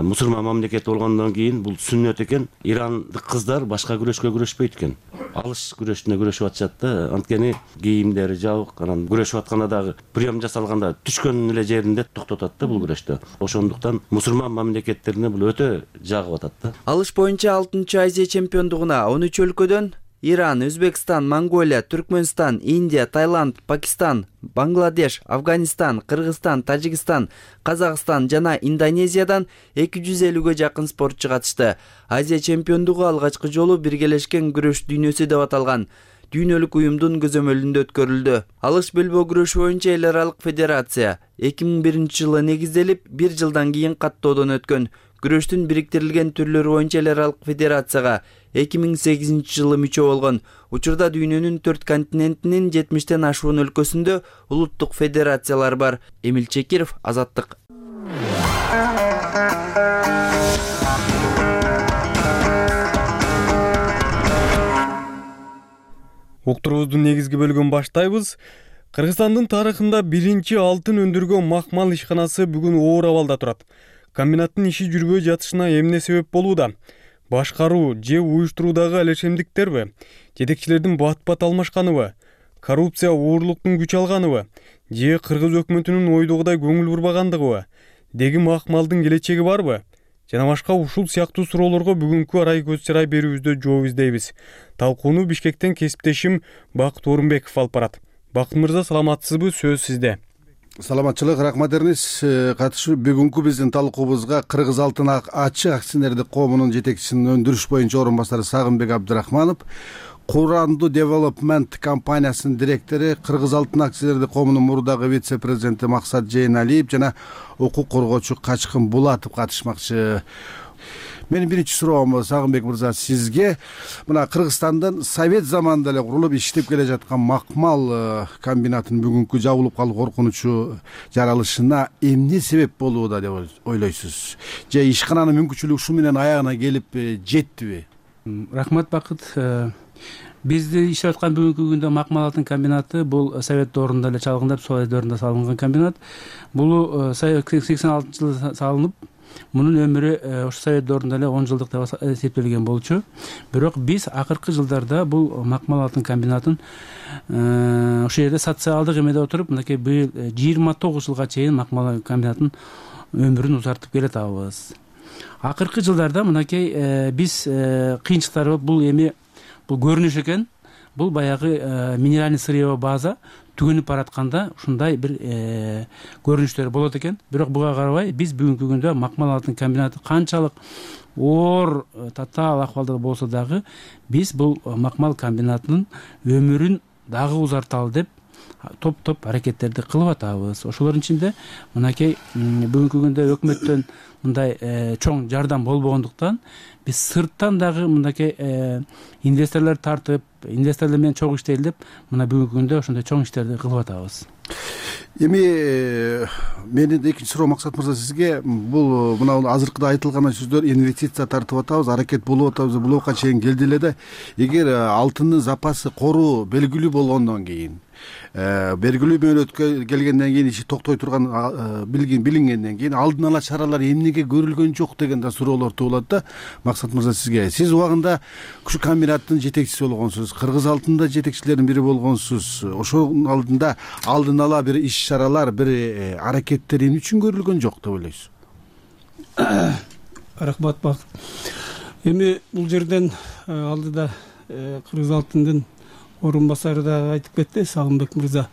S24: мусулман мамлекет болгондон кийин бул сүннөт экен. Ирандык кыздар башка күрөшкө күрөшпөйт экен. Алыш күрөшүнө күрөшүп атышат да. Анткени кийимдери жабык, анан күрөшүп атканда дагы прием жасалганда түшкөн эле жеринде токтотот да бул күрөштө. Ошондуктан мусулман мамлекеттерине бул өтө жагып атат да.
S21: Алыш боюнча 6-чы Азия чемпиондугуна 13 өлкөдөн Иран, Өзбекстан, Монголия, Түркмөнстан, Индия, Таиланд, Пакистан, Бангладеш, Афганистан, Кыргызстан, Тажикстан, Казакстан жана Индонезиядан 250гө жакын спортчу катышты. Азия чемпиондугу алгачкы жолу биргелешкен күрөш дүйнөсү деп аталган. дүйнөлүк уюмдун көзөмөлүндө өткөрүлдү. Алыш белбоо күрөшү боюнча эл аралык федерация 2001-жылы негизделип, 1 жылдан кийин каттоодон өткөн. Күрөштүн бириктирилген түрлөрү боюнча эл аралык федерацияга 2008-жылы мүчө болгон. Учурда дүйнөнүн 4 континентинин 70тен ашуун өлкөсүндө улуттук федерациялар бар. Эмил Чекиров, Азаттык.
S20: Уктуруубуздун негизги бөлүгүн баштайбыз. Кыргызстандын тарыхында биринчи алтын өндүргөн макмал ишканасы бүгүн оор абалда турат. Комбинаттын иши жүрбөй жатышына эмне себеп болууда? Башкаруу же уюштуруудагы алешемдиктерби? Жетекчилердин бат-бат алмашканыбы? Коррупция, оорлуктун күч алганыбы? Же кыргыз өкмөтүнүн ойдогудай көңүл бурбагандыгыбы? Деги макмалдын келечеги барбы? Жана башка ушул сыяктуу суроолорго бүгүнкү арай көз чарай берүүбүздө жооп издейбиз. Талкууну Бишкектен кесиптешим Бакыт Орунбеков алып барат. Бакыт мырза, саламатсызбы? Сөз сизде.
S5: Саламатчылык, рахмат Эрнис. Катышуу бүгүнкү биздин талкуубузга Кыргыз алтын ачык акционердик коомунун жетекчисинин өндүрүш боюнча орун басары Сагынбек Абдрахманов, Куранду Development компаниясынын директору, Кыргыз алтын акционердик коомунун мурдагы вице-президенти Максат Жейналиев жана укук коргоочу Качкын Булатов катышмакчы. Менин биринчи суроом Сагынбек мырза сизге. Мына Кыргызстандын Совет заманында эле курулуп иштеп келе жаткан макмал комбинатынын бүгүнкү жабылып калуу коркунучу жаралышына эмне себеп болууда деп ойлойсуз? Же ишкананын мүмкүнчүлүгү ушу менен аягына келип жеттиби?
S6: Рахмат, Бакыт. Бизде иштеп аткан бүгүнкү күндө макмал алтын комбинаты бул Совет доорунда эле чалгындап, Совет доорунда салынган комбинат. Бул 86-жылы салынып, мунун өмүрү ошо Совет доорунда эле 10 жылдык деп эсептелген болчу. Бирок биз акыркы жылдарда бул макмал алтын комбинатын ошол жерде социалдык эмеде отуруп, мынакей быйыл 29 жылга чейин макмал комбинатын өмүрүн узартып келатабыз. Акыркы жылдарда мынакей биз кыйынчылыктар бул эми бул көрүнүш экен. Бул баягы минеральный сырьевой база түгөнүп баратканда ушундай бир көрүнүштөр болот экен. Бирок буга карабай биз бүгүнкү күндө макмал алтын комбинаты канчалык оор татаал акыбалда болсо дагы биз бул макмал комбинатынын өмүрүн дагы узарталы деп топ аракеттерди кылып атабыз. Ошолордун ичинде мынакей бүгүнкү күндө өкмөттөн мындай чоң жардам болбогондуктан биз сырттан дагы мынакей инвесторлор тартып, инвесторлор менен чогуу иштейли деп мына бүгүнкү күндө ошондой чоң иштерди кылып атабыз.
S5: Эми менин экинчи суроо Максат мырза сизге. Бул мына азыркыда айтылган сөздөр инвестиция тартып атабыз, аракет болуп атабыз, булга чейин келди эле да. Эгер алтындын запасы кору белгилүү болгондон кийин, белгилүү мөөнөткө келгенден кийин иши токтой турган билингенден кийин алдын ала чаралар эмнеге көрүлгөн жок деген да суроолор туулат да. Максат мырза сизге. Сиз убагында ушу комбинаттын жетекчиси болгонсуз, Кыргыз алтында жетекчилердин бири болгонсуз. Ошонун алдында алдын ала бир иш чаралар, бир аракеттер эмне үчүн көрүлгөн жок деп ойлойсуз?
S6: Рахмат, Бакыт. Эми бул жерден алдыда Кыргыз алтындын орун басары да айтып кетти, Сагынбек мырза.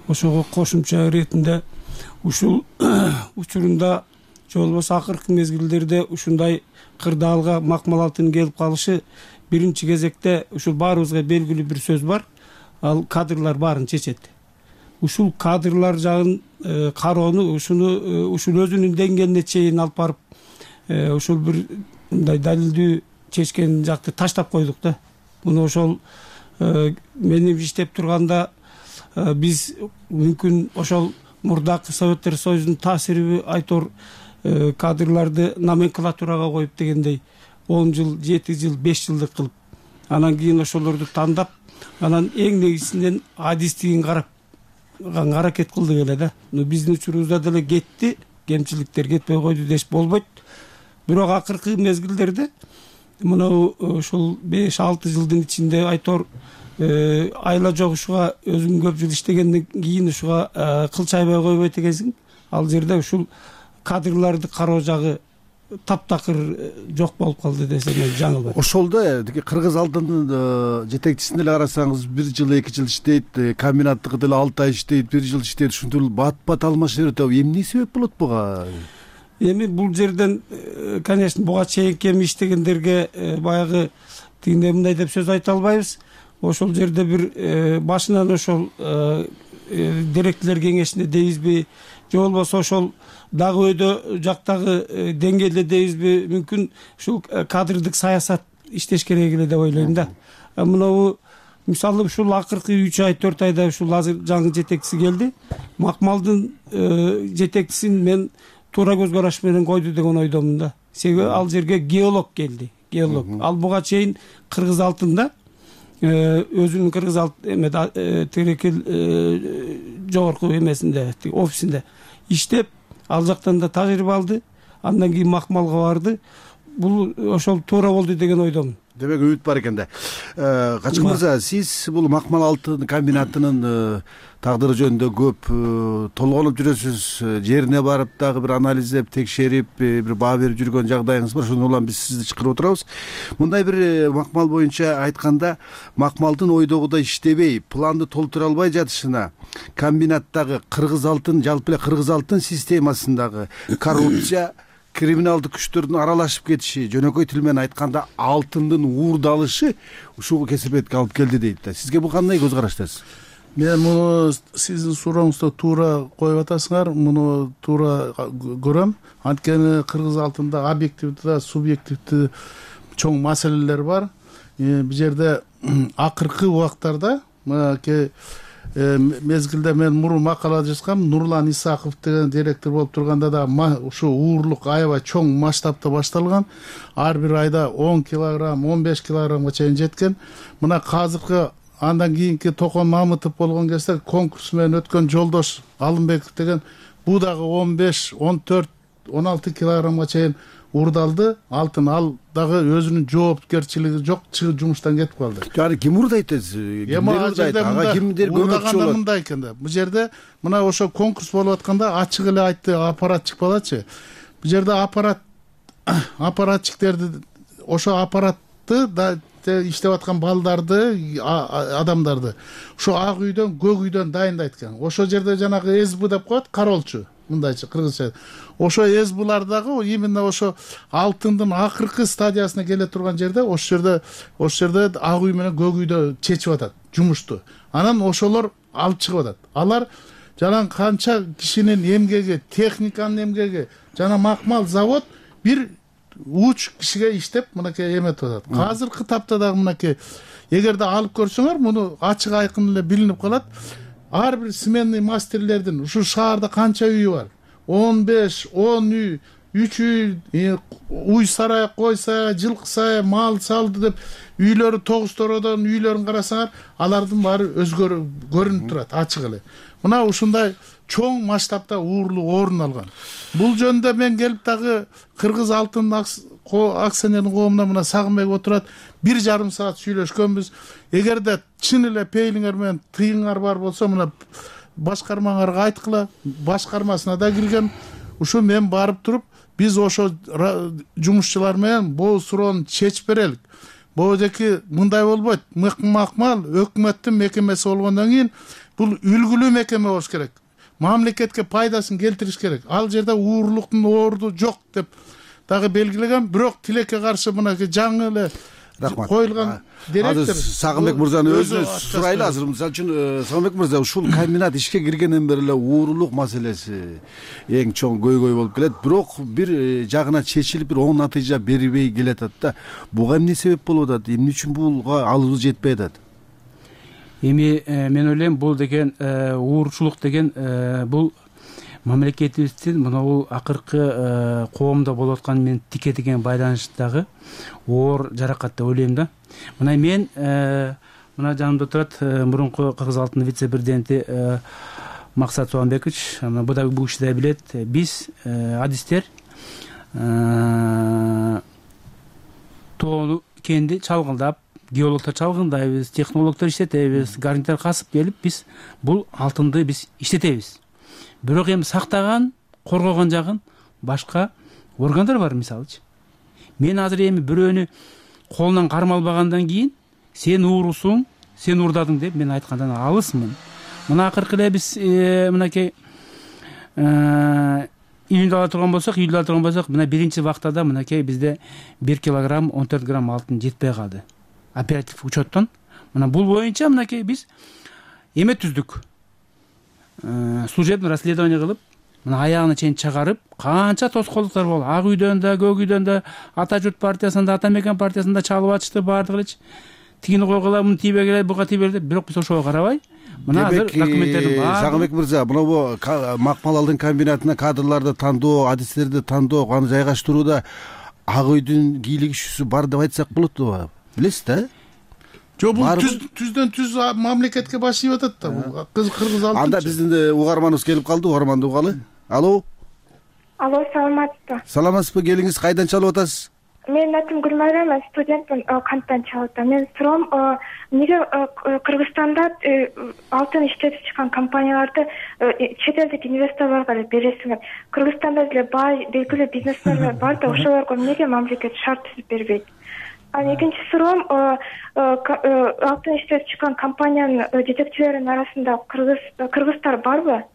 S6: Ошого кошумча иретинде ушул учурунда же болбосо акыркы мезгилдерде ушундай кырдаалга макмал алтын келип калышы биринчи кезекте ушул баарыбызга белгилүү бир сөз бар. Ал кадрлар баарын чечет. Ушул кадрлар жагын кароону ушул өзүнүн деңгээлине чейин алып барып ушул бир мындай далилдүү чечкен жакты таштап койдук да. Муну ошол менин иштеп турганда биз мүмкүн ошол мурдакы Советтер Союзунун таасириби айтор кадрларды номенклатурага коюп дегендей 10 жыл, 7 жыл, 5 жылдык кылып, анан кийин ошолорду тандап, анан эң негизинен адистигин карап аракет кылдык эле да. Биздин учурубузда деле кетти, кемчиликтер кетпей койду деш болбойт. Бирок акыркы мезгилдерде мына ушул 5-6 жылдын ичинде айтор айла жок ушуга өзүң көп жыл иштегенден кийин ушуга кылчайбай койбойт экенсиң. Ал жерде ушул кадрларды кароо жагы таптакыр жок болуп калды десем жаңылбайм.
S5: Ошолдо Кыргыз алтындын жетекчисин эле карасаңыз 1 жыл 2 жыл иштейт, комбинаттыкы деле 6 ай иштейт, 1 жыл иштейт, ушинтип бат-бат алмашып атат. Эмне себеп болот буга?
S6: Эми бул жерден конечно буга чейинки иштегендерге баягы тигиндей мындай деп сөз айта албайбыз. ошол жерде бир башынан ошол директорлор кеңешинде дейбизби же болбосо ошол дагы өйдө жактагы деңгээлде дейбизби, мүмкүн ушул кадрдык саясат иштеш керек эле деп ойлойм да. Мынабу мисалы ушул акыркы 3 ай 4 айда ушул азыр жаңы жетекчиси келди. Макмалдын жетекчисин мен туура көз караш менен койду деген ойдомун да. Себеби ал жерге геолог келди. Геолог. Ал буга чейин Кыргыз алтында өзүнүн Кыргыз эме Терекел жогорку эмесинде, офисинде иштеп, ал жактан да тажрыйба алды. Андан кийин Макмалга барды. Бул ошол туура болду деген ойдомун.
S5: Демек үмүт бар экен да. Качкын мырза, сиз бул Макмал алтын комбинатынын тагдыры жөнүндө көп толгонуп жүрөсүз. Жерине барып дагы бир анализдеп, текшерип, бир баа берип жүргөн жагдайыңыз бар. Ошондон улам биз сизди чакырып отурабыз. Мындай бир Макмал боюнча айтканда, Макмалдын ойдогудай иштебей, планды толтура албай жатышына комбинаттагы Кыргыз алтын, жалпы эле Кыргыз алтын системасындагы коррупция, криминалдык күчтөрдүн аралашып кетиши, жөнөкөй тил менен айтканда алтындын уурдалышы ушул кесепетке алып келди дейт да. Сизге бул кандай көз караштасыз?
S4: Мен муну сиздин сурооңузду туура коюп атасыңар, муну туура көрөм. Анткени Кыргыз алтында объективдүү, субъективдүү чоң маселелер бар. Бул жерде акыркы убактарда мезгилде мен мурун макала жазгам, Нурлан Исаков деген директор болуп турганда да ушу уурлук аябай чоң масштабта башталган. Ар бир айда 10 килограмм, 15 килограммга чейин жеткен. Мына азыркы андан кийинки Токон Мамытов болгон кезде конкурс менен өткөн Жолдош Алымбеков деген бул дагы 15, 14, 16 килограммга чейин уурдалды алтын. Ал дагы өзүнүн жоопкерчилиги жок, чыгып жумуштан кетип калды.
S5: Жана ким уурдайт десиз? Кимдер көмөкчү болот?
S4: Мындай экен да. Бул жерде мына ошо конкурс болуп атканда ачык эле айтты аппарат чыкпалачы. Бул жерде аппаратчиктерди, ошо аппаратты да иштеп аткан балдарды, адамдарды ошо ак үйдөн, көк үйдөн дайындайт экен. Ошо жерде жанагы СБ деп коет, кароолчу. Мындайчы кыргызча. Ошо СБлардагы именно ошо алтындын акыркы стадиясына келе турган жерде, ошо жерде ак үй менен көк үйдө чечип атат жумушту. Анан ошолор алып чыгып атат. Алар жана канча кишинин эмгеги, техниканын эмгеги, жана Макмал завод бир уч кишиге иштеп мынакей эметип атат. Азыркы тапта дагы мынакей эгерде алып көрсөңөр, муну ачык айкын эле билинип калат. Ар бир сменный мастерлердин ушул шаарда канча үйү бар? 15, 10 үй, 3 үй, уй сарай, кой сарай, жылкы сарай, мал салды деп үйлөрү тогузтородон үйлөрүн карасаңар, алардын баары өзгөрүп көрүнүп турат ачык эле. Мына ушундай чоң масштабта уурлук орун алган. Бул жөнүндө мен келип дагы Кыргыз алтын акционердин коомуна мына Сагынбек отурат, 1,5 саат сүйлөшкөнбүз. Эгерде чын эле пейлиңер менен тыйыңар бар болсо, мына башкармаңарга айткыла, башкармасына да киргем. Ушу мен барып туруп, биз ошо жумушчулар менен бул суроону чечип берелик. Божеки мындай болбойт. Макмал өкмөттүн мекемеси болгондон кийин бул үлгүлүү мекеме болуш керек. Мамлекетке пайдасын келтириш керек. Ал жерде уурлуктун орду жок деп дагы белгилеген, бирок тилекке каршы мынакей жаңы эле коюлган директор.
S5: Сагынбек мырзаны өзүнө сурайлы азыр. Мисалы үчүн Сагынбек мырза, ушул комбинат ишке киргенден бери эле уурлук маселеси эң чоң көйгөй болуп келет. Бирок бир жагына чечилип, бир оң натыйжа бербей келатат да. Буга эмне себеп болуп атат? Эмне үчүн буга алыбыз жетпей атат?
S7: Эми мен ойлойм, бул деген уурчулук деген бул мамлекетибиздин мына акыркы коомдо болуп аткан менен тике деген байланыштагы оор жаракат деп ойлойм да. Мына мен мына жанымда турат мурунку Кыргыз алтын вице-президенти Максат Суанбекович, бул да бул киши да билет. Биз адистер тоону кенди чалгындап, геологтор чалгындайбыз, технологдор иштетебиз, гарнитар касып келип биз бул алтынды биз иштетебиз. Бирок эми сактаган, коргогон жагын башка органдар бар, мисалычы. Мен азыр эми бирөөнү колунан кармалбагандан кийин сен уурусуң, сен уурдадың деп мен айткандан алысмын. Мына акыркы эле биз мынакей июнда ала турган болсок, мына биринчи вактада мынакей бизде 1 килограмм 14 грамм алтын жетпей калды. Оператив учеттон мына бул боюнча мынакей биз эме түздүк, служебный расследование кылып, мына аягына чейин чыгарып, канча тоскоолдуктар болду. Ак үйдөн да, көк үйдөн да, Ата журт партиясында, Ата мекен партиясында чалып ачты баардыгы элечи. Тигини койгула, муну тийбегиле, буга тийбегиле, бирок биз ошого карабай, мына азыр документтердин баары.
S5: Сагынбек мырза, мына макмал алдын комбинатына кадрларды тандоо, адистерди тандоо, аны жайгаштырууда Ак үйдүн кийлик ишүүсү бар деп айтсак болотпу? Билесиз да?
S4: Жок, бул түздөн түз мамлекетке баш ийип атат да. Бул кыргыз алтын.
S5: Анда биздин угарманыбыз келип калды, угарманды угалы. Алло.
S8: Алло, саламатсызбы?
S5: Саламатсызбы, келиңиз, кайдан чалып атасыз?
S8: Менин атым Гүлмайра, мен студентмин, Канттан чалып атам. Мен суроом, эмнеге Кыргызстанда алтын иштетип чыккан компанияларды чет элдик инвесторлорго эле бересиңер? Кыргызстанда деле бай, белгилүү бизнесмендер бар да, ошолорго эмнеге мамлекет шарт түзүп бербейт? Экинчи суроом, алтын иштетип чыккан компаниянын жетекчилеринин арасында кыргыздар барбы?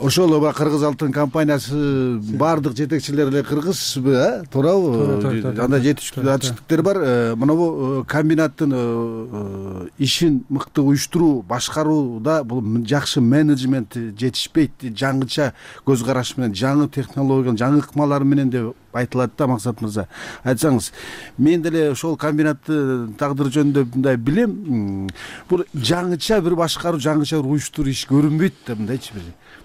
S5: Ошол кыргыз алтын компаниясы баардык жетекчилер эле кыргызбы, туурабы? Анда жетиштиктер бар. Мына комбинаттын ишин мыкты уюштуруу, башкарууда бул жакшы менеджмент жетишпейт, жаңыча көз караш менен, жаңы технология, жаңы ыкмалар менен деп айтылат да. Максат мырза, айтсаңыз. Мен деле ошол комбинаттын тагдыры жөнүндө мындай билем. Бул жаңыча бир башкаруу, жаңыча бир уюштуруу иш көрүнбөйт да, мындайчы бир.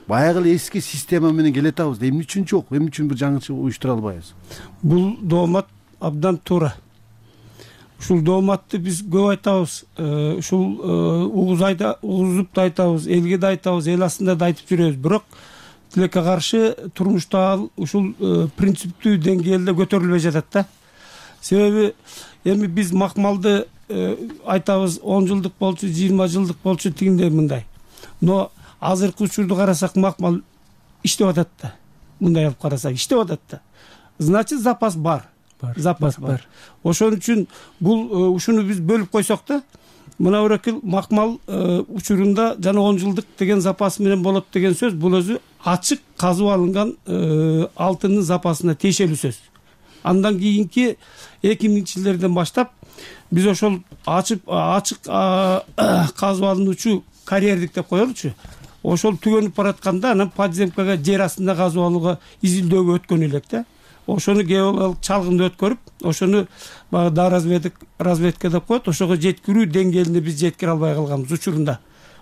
S5: Баягы эле эски система менен келатабыз да. Эмне үчүн жок? Эмне үчүн бир жаңыча уюштура албайбыз?
S6: Бул доомат абдан туура. Ушул дооматты биз көп айтабыз. Ушул угузуп да айтабыз, элге да айтабыз, эл астында да айтып жүрөбүз. Бирок тилекке каршы турмушта ушул принциптүү деңгээлде көтөрүлбөй жатат да. Себеби эми биз макмалды айтабыз 10 жылдык болчу, 20 жылдык болчу, тигиндей мындай. Но азыркы учурду карасак макмал иштеп атат да. Мындай алып карасак иштеп атат да. Значит, запас бар. Запас бар. Ошон үчүн бул ушуну биз бөлүп койсок да, мына бирок макмал учурунда жана 10 жылдык деген запас менен болот деген сөз, бул өзү ачык казып алынган алтындын запасына тиешелүү сөз. Андан кийинки 2000-жылдардан баштап биз ошол ачык казып алынуучу карьердик деп коелучу. Ошол түгөнүп баратканда анан подземкага, жер астында казып алууга, изилдөөгө өткөн элек да. Ошону геологиялык чалгынды өткөрүп, ошону баягы разведка деп коет, ошого жеткирүү деңгээлине биз жеткире албай калганбыз учурунда.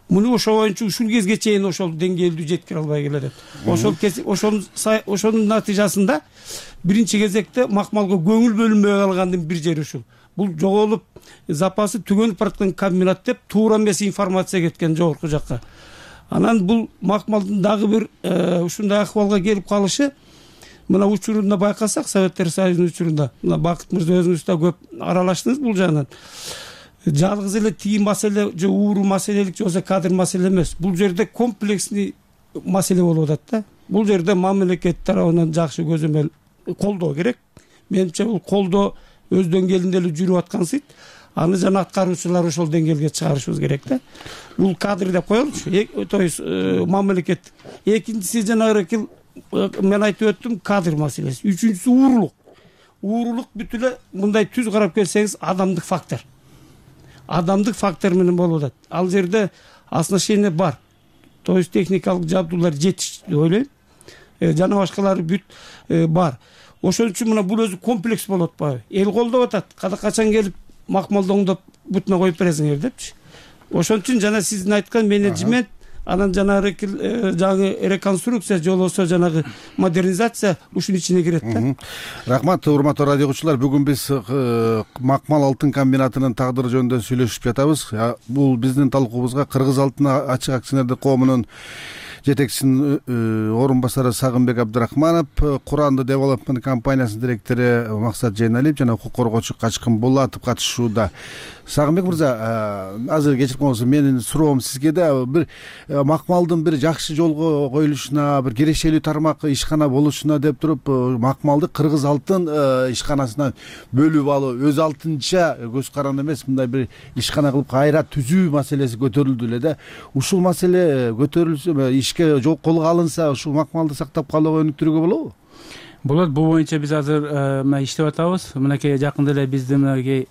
S6: Муну ошол боюнча ушул кезге чейин ошол деңгээлдүү жеткире албай келатат. Ошонун натыйжасында биринчи кезекте макмалга көңүл бөлүнбөй калгандын бир жери ушул. Бул жоголуп, запасы түгөнүп бараткан комбинат деп туура эмес информация кеткен жогорку жакка. Анан бул макмалдын дагы бир ушундай акыбалга келип калышы, мына учурунда байкасак, Советтер Союзунун учурунда, мына Бакыт мырза өзүңүз да көп аралаштыңыз бул жагынан. Жалгыз эле тиги маселе же ууру маселелик же болбосо кадр маселе эмес. Бул жерде комплексный маселе болуп атат да. Бул жерде мамлекет тарабынан жакшы көзөмөл колдоо керек. Менимче бул колдоо өз деңгээлинде эле жүрүп аткансыйт. Аны жана аткаруучулар ошол деңгээлге чыгарышыбыз керек да. Бул кадр деп коелучу, то есть мамлекет. Экинчиси жанагы мен айтып өттүм, кадр маселеси. Үчүнчүсү уурулук. Уурулук бүт эле мындай түз карап келсеңиз адамдык фактор. Адамдык фактор менен болуп атат. Ал жерде оснащение бар. То есть техникалык жабдуулар жетиш деп ойлойм. Жана башкалары бүт бар. Ошон үчүн мына бул өзү комплекс болуп атпайбы? Эл колдоп атат. Качан келип макмалды оңдоп бутуна коюп бересиңер депчи. Ошон үчүн жана сиздин айткан менеджмент, анан жанагы реконструкция же болбосо жанагы модернизация ушунун ичине кирет да.
S5: Рахмат, урматтуу радио угуучулар. Бүгүн биз макмал алтын комбинатынын тагдыры жөнүндө сүйлөшүп жатабыз. Бул биздин талкуубузга Кыргыз алтын ачык акционердик коомунун жетекчисинин орун басары Сагынбек Абдрахманов, Куранды Development компаниясынын директору Максат Жейналиев жана укук коргоочу Качкын Булатов катышууда. Сагынбек мырза, азыр кечирип коңуз, менин суроом сизге да бир макмалдын бир жакшы жолго коюлушуна, бир кирешелүү тармак ишкана болушуна деп туруп, макмалды Кыргыз алтын ишканасынан бөлүп алуу, өз алтынча көз каранды эмес, мындай бир ишкана кылып кайра түзүү маселеси көтөрүлдү эле да. Ушул маселе көтөрүлсө, ишке колго алынса, ушул макмалды сактап калууга өнүктүрүүгө болобу?
S7: болот. Бул боюнча биз азыр мына иштеп атабыз. Мынакей жакында эле бизде мынакей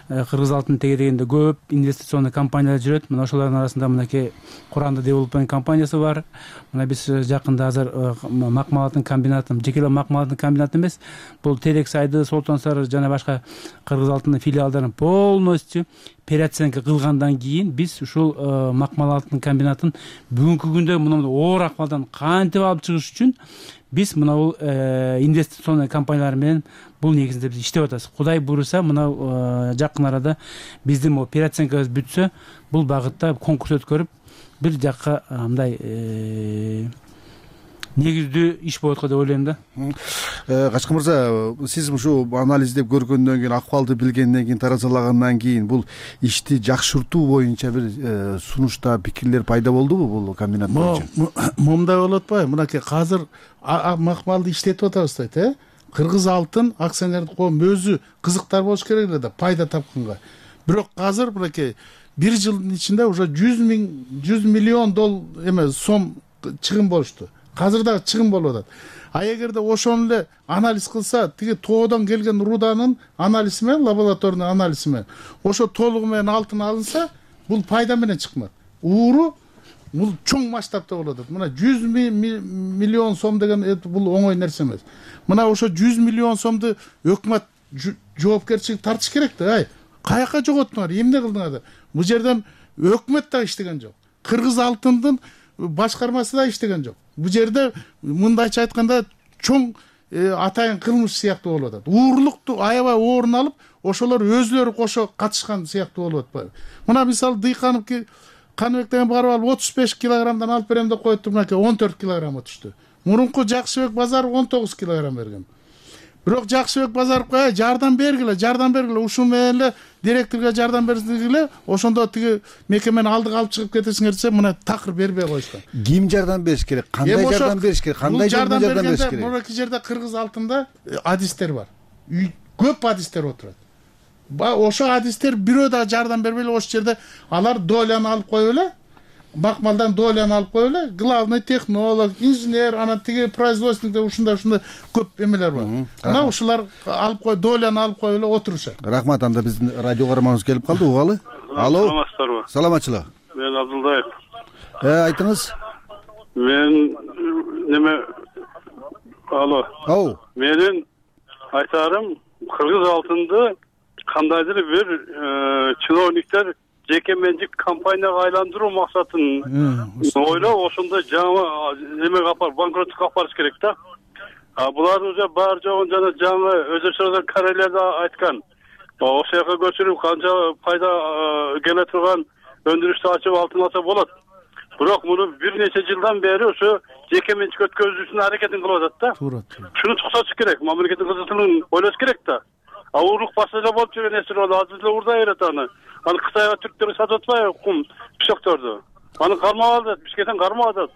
S7: Кыргыз алтын тегерегинде көп инвестиционный компаниялар жүрөт. Мына ошолордун арасында мынакей Куранды Девелопмент компаниясы бар. Мына биз жакында азыр макмал алтын комбинатын, жеке эле макмал алтын комбинаты эмес, бул Терек Сайды, Солтон Сары жана башка Кыргыз алтын филиалдарын полностью переоценка кылгандан кийин биз ушул макмал алтын комбинатын бүгүнкү күндө мындай оор акыбалдан кантип алып чыгыш үчүн биз мына бул инвестиционный компаниялар менен бул негизинде биз иштеп атабыз. Кудай буйруса, мына жакын арада биздин могу переоценкабыз бүтсө, бул багытта конкурс өткөрүп бир жакка мындай негиздүү иш болот го деп ойлойм да.
S5: Качкын мырза, сиз ушу анализдеп көргөндөн кийин, акыбалды билгенден кийин, таразалагандан кийин бул ишти жакшыртуу боюнча бир сунушта пикирлер пайда болдубу бул комбинат боюнча?
S4: Момундай болуп атпайбы? Мынакей азыр макмалды иштетип атабыз дейт, Кыргыз алтын акционердик коом өзү кызыктар болуш керек эле да, пайда тапканга. Бирок азыр мынакей бир жылдын ичинде уже 100 миллион сом чыгым болушту. Азыр дагы чыгым болуп атат. А эгерде ошону эле анализ кылса, тиги тоодон келген руданын анализи менен, лабораторный анализи менен, ошо толугу менен алтын алынса, бул пайда менен чыкмат. Ууру бул чоң масштабта болуп атат. Мына 100 миллион сом деген бул оңой нерсе эмес. Мына ошо 100 миллион сомду өкмөт жоопкерчилик тартыш керек да. Каяка жоготтуңар, эмне кылдыңар? Бул жерден өкмөт да иштеген жок. Кыргыз алтындын башкармасы да иштеген жок. Бул жерде мындайча айтканда чоң атайын кылмыш сыяктуу болуп атат. Уурлукту аябай орун алып, ошолор өзлөрү кошо катышкан сыяктуу болуп атпайбы? Мына мисалы Дыйканов Каныбек деген барып алып 35 килограммдан алып берем деп коюптур, мынакей 14 килограмм түштү. Мурунку Жакшыбек Базаров 19 килограмм берген. Бирок Жакшыбек Базаровго жардам бергиле, ушул менен эле директорго жардам берсеңиле, ошондо тиги мекемени алдыга алып чыгып кетесиңер десе, мына такыр бербей коюшкан.
S5: Ким жардам бериш керек? Кандай жардам бериш керек? Кандай жардам бериш керек?
S4: Мурунку жерде Кыргыз алтында адистер бар. Көп адистер отурат. Ошо адистер бирөө да жардам бербей эле ошол жерде алар доляны алып коюп эле, макмалдан доляны алып коюп эле, главный технолог, инженер, анан тиги производственникте ушундай көп эмелер бар. Мына ушулар алып коюп, доляны алып коюп эле отурушат.
S5: Рахмат, анда биздин радио каарманыбыз келип калды, угалы. Алло.
S2: Саламатсыздарбы?
S5: Саламатчылык.
S2: Мен Абдулдаев.
S5: Айтыңыз.
S2: Мен Алло. Менин айтарым, Кыргыз алтынды кандайдыр бир чиновниктер жеке менчик компанияга айландыруу максатын ойлоп, ошондой жаңы эмеге банкроттукка алып барыш керек да. Булар уже бар жогун жана жаңы өзөчөлөр карелерде айткан. Ошол жака көчүрүп канча пайда келе турган өндүрүштү ачып алтын алса болот. Бирок муну бир нече жылдан бери ошо жеке менчик өткөзүүсүнүн аракетин кылып атат да. Шуну токтотуш керек, мамлекеттин кызматынын ойлош керек да. Уурлук башында болуп жүргөн нерсе болду, азыр эле урдай берет аны. Аны Кытайга түрктөр сатып атпайбы кум пешокторду? Аны кармап алды, Бишкектен кармап атат.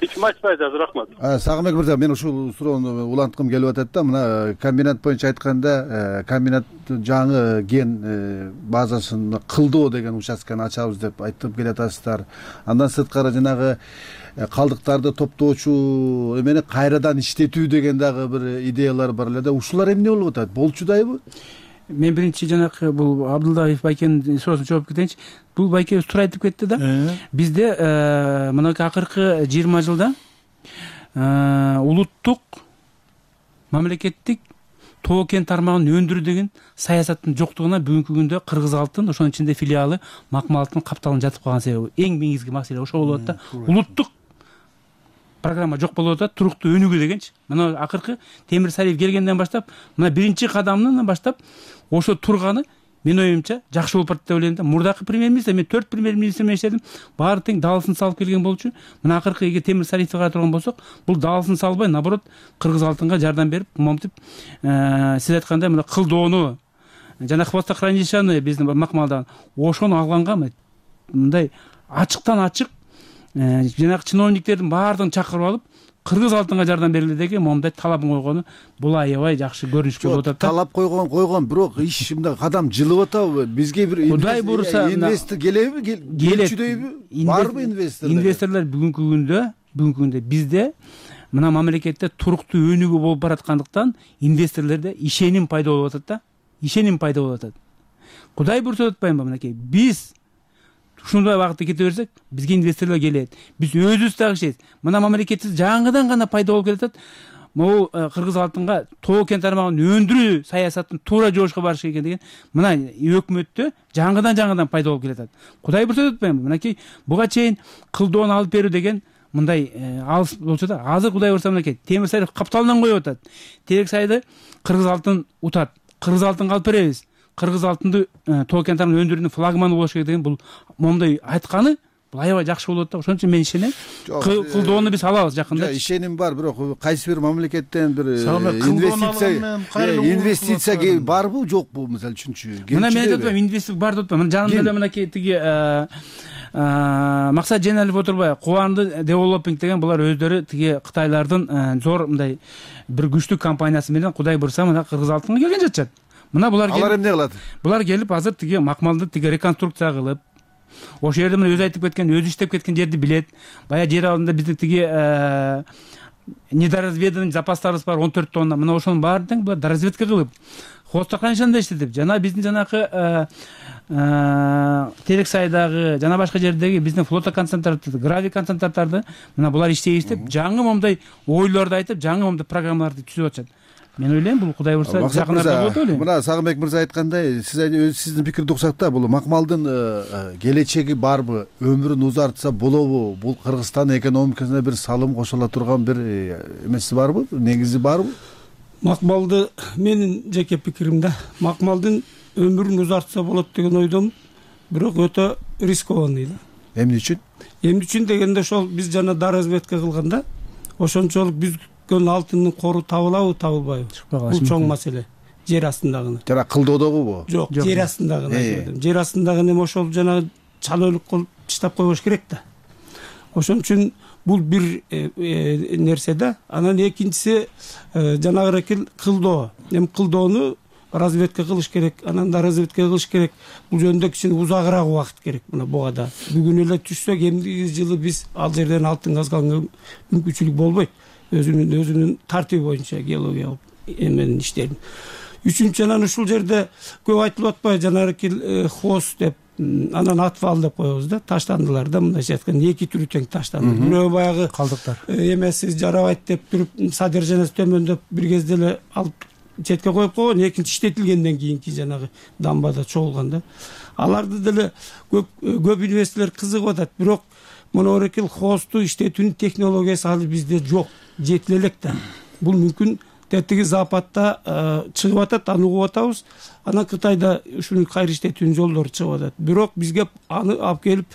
S2: Эч ким айтпайт азыр, рахмат.
S5: Сагынбек мырза, мен ушул суроону уланткым келип атат да. Мына комбинат боюнча айтканда, комбинат жаңы ген базасын кылдоо деген участканы ачабыз деп айтып келатасыздар. Андан сырткары жанагы калдыктарды топтоочу эмени кайрадан иштетүү деген дагы бир идеялар бар эле да. Ушулар эмне болуп атат? Болчудайбы?
S7: Мен биринчи жанагы бул Абдулдаев байкенин суроосуна жооп кетейинчи. Бул байке туура айтып кетти да. Бизде мынакей акыркы 20 жылда улуттук мамлекеттик тоо кен тармагын өндүрүү деген саясаттын жоктугуна бүгүнкү күндө Кыргыз алтын, ошонун ичинде филиалы макмал алтын капталын жатып калган себеби. Эң негизги маселе ошол болуп атат да. Улуттук программа жок болуп атат, туруктуу өнүгүү дегенчи. Мына акыркы Темир Сариев келгенден баштап, мына биринчи кадамынан баштап ошо турганы мен оюмча жакшы болуп барат деп ойлойм да. Мурдакы премьер-министр, мен 4 премьер-министр менен иштедим, баары тең даалысын салып келген болчу. Мына акыркы эгер Темир Сариевди карап турган болсок, бул даалысын салбай, наоборот, Кыргыз алтынга жардам берип, момтип, сиз айткандай мына кылдоону жана хвостохранилищаны биздин макмалдан ошону алганга мындай ачыктан ачык жанагы чиновниктердин баардыгын чакырып алып, Кыргыз алтынга жардам бергиле деген момундай талабын койгону бул аябай жакшы көрүнүшкө болуп атат да.
S5: Талап койгон, бирок иш мындай кадам жылып атабы? Бизге бир
S7: Кудай буйруса
S5: инвестор келеби? Келчүдөйбү? Барбы инвесторлор?
S7: Инвесторлор бүгүнкү күндө бизде мына мамлекетте туруктуу өнүгүү болуп бараткандыктан инвесторлордо ишеним пайда болуп атат да, ишеним пайда болуп атат. Кудай буйрса деп атпайбы мынакей, биз ушундай багытта кете берсек, бизге инвесторлор келет, биз өзүбүз дагы ишенет. Мына мамлекетибиз жаңыдан гана пайда болуп келатат. Могу кыргыз алтынга тоо кен тармагын өндүрүү саясатын туура жолушка барыш керек деген мына өкмөттө жаңыдан пайда болуп келатат. Кудай буйрса деп атпайбы, мынакей буга чейин кылдоону алып берүү деген мындай алыс болчу да. Азыр Кудай буйрса мынакей темир сайды капталынан коюп атат. Терек сайды кыргыз алтын утат. Кыргыз алтынга алып беребиз. Кыргыз алтынды тоо кен тармагын өндүрүүнүн флагманы болуш керек деген бул момундай айтканы бул аябай жакшы болот да. Ошон үчүн мен ишенем. Кылдоону биз алабыз жакында.
S5: Ишеним бар, бирок кайсы бир мамлекеттен бир инвестиция барбы, жокпу, мисалы үчүнчү?
S7: Мына мен айтып атпайм, инвестиция бар деп атпайм. Мына жанымда эле мынакей тиги Максат Женалиев отурбай, Кубанды Девелопинг деген булар өздөрү тиги Кытайлардын зор мындай бир күчтүү компаниясы менен Кудай буйрса мына кыргыз алтынга келген жатышат. Мына булар
S5: алар эмне кылат?
S7: Булар келип азыр тиги макмалды тиги реконструкция кылып, ошол жерде мына өзү айтып кеткен, өзү иштеп кеткен жерди билет. Бая жер алдында биздин тиги недоразведанный запастарыбыз бар 14 тонна. Мына ошонун баарын тең булар доразведка кылып, хостаканышында иштетип, жана биздин жанакы терек сайдагы жана башка жердеги биздин флота концентраттарды, гравий концентраттарды мына булар иштейбиз деп, жаңы момундай ойлорду айтып, жаңы момундай программаларды түзүп атышат. Мен ойлойм бул Кудай буйрса жакын арада болот деп ойлойм.
S5: Мына Сагынбек мырза айткандай, сиздин пикирди уксак да, бул макмалдын келечеги барбы, өмүрүн узартса болобу? Бул Кыргызстан экономикасына бир салым кошула турган бир эмеси барбы, негизи барбы?
S6: Макмалды менин жеке пикирим да, макмалдын өмүрүн узартса болот деген ойдомун, бирок өтө рискованный да.
S5: Эмне үчүн?
S6: Эмне үчүн дегенде ошол биз жана доразведка кылганда ошончолук биз алтындын кору табылабы, табылбайбы? Бул чоң маселе. Жер астындагы.
S5: Жана кылдоодогубу?
S6: Жок, жер астындагы. Жер астындагы эми ошол жана чалөөлүк кылып таштап койбош керек да. Ошон үчүн бул бир нерсе да. Анан экинчиси жанагы кылдоо. Эми кылдоону разведка кылыш керек, анан да разведка кылыш керек. Бул жөнүндө кичине узагыраак убакыт керек мына буга да. Бүгүн эле түшсөк, эмдиги жылы биз ал жерден алтын казганга мүмкүнчүлүк болбойт. Өзүнүн тартиби боюнча геологиялык эменин иштерин. Үчүнчү, анан ушул жерде көп айтылып атпайбы, жанагы хоз деп, анан отвал деп коебуз да, таштандылар да, мындайча айтканда 2 түрү тең таштанды. Бирөө баягы
S7: калдыктар.
S6: Эмеси жарабайт деп туруп, содержаниясы төмөндөп бир кезде эле алып четке коюп койгон, экинчи иштетилгенден кийинки жанагы дамбада чогулган да. Аларды деле көп инвесторлор кызыгып атат, бирок монорекил хосту иштетүүнүн технологиясы алы бизде жок, жетиле элек да. Бул мүмкүн тетиги Западта чыгып атат, аны угуп атабыз. Анан Кытайда ушуну кайра иштетүүнүн жолдору чыгып атат. Бирок бизге аны алып келип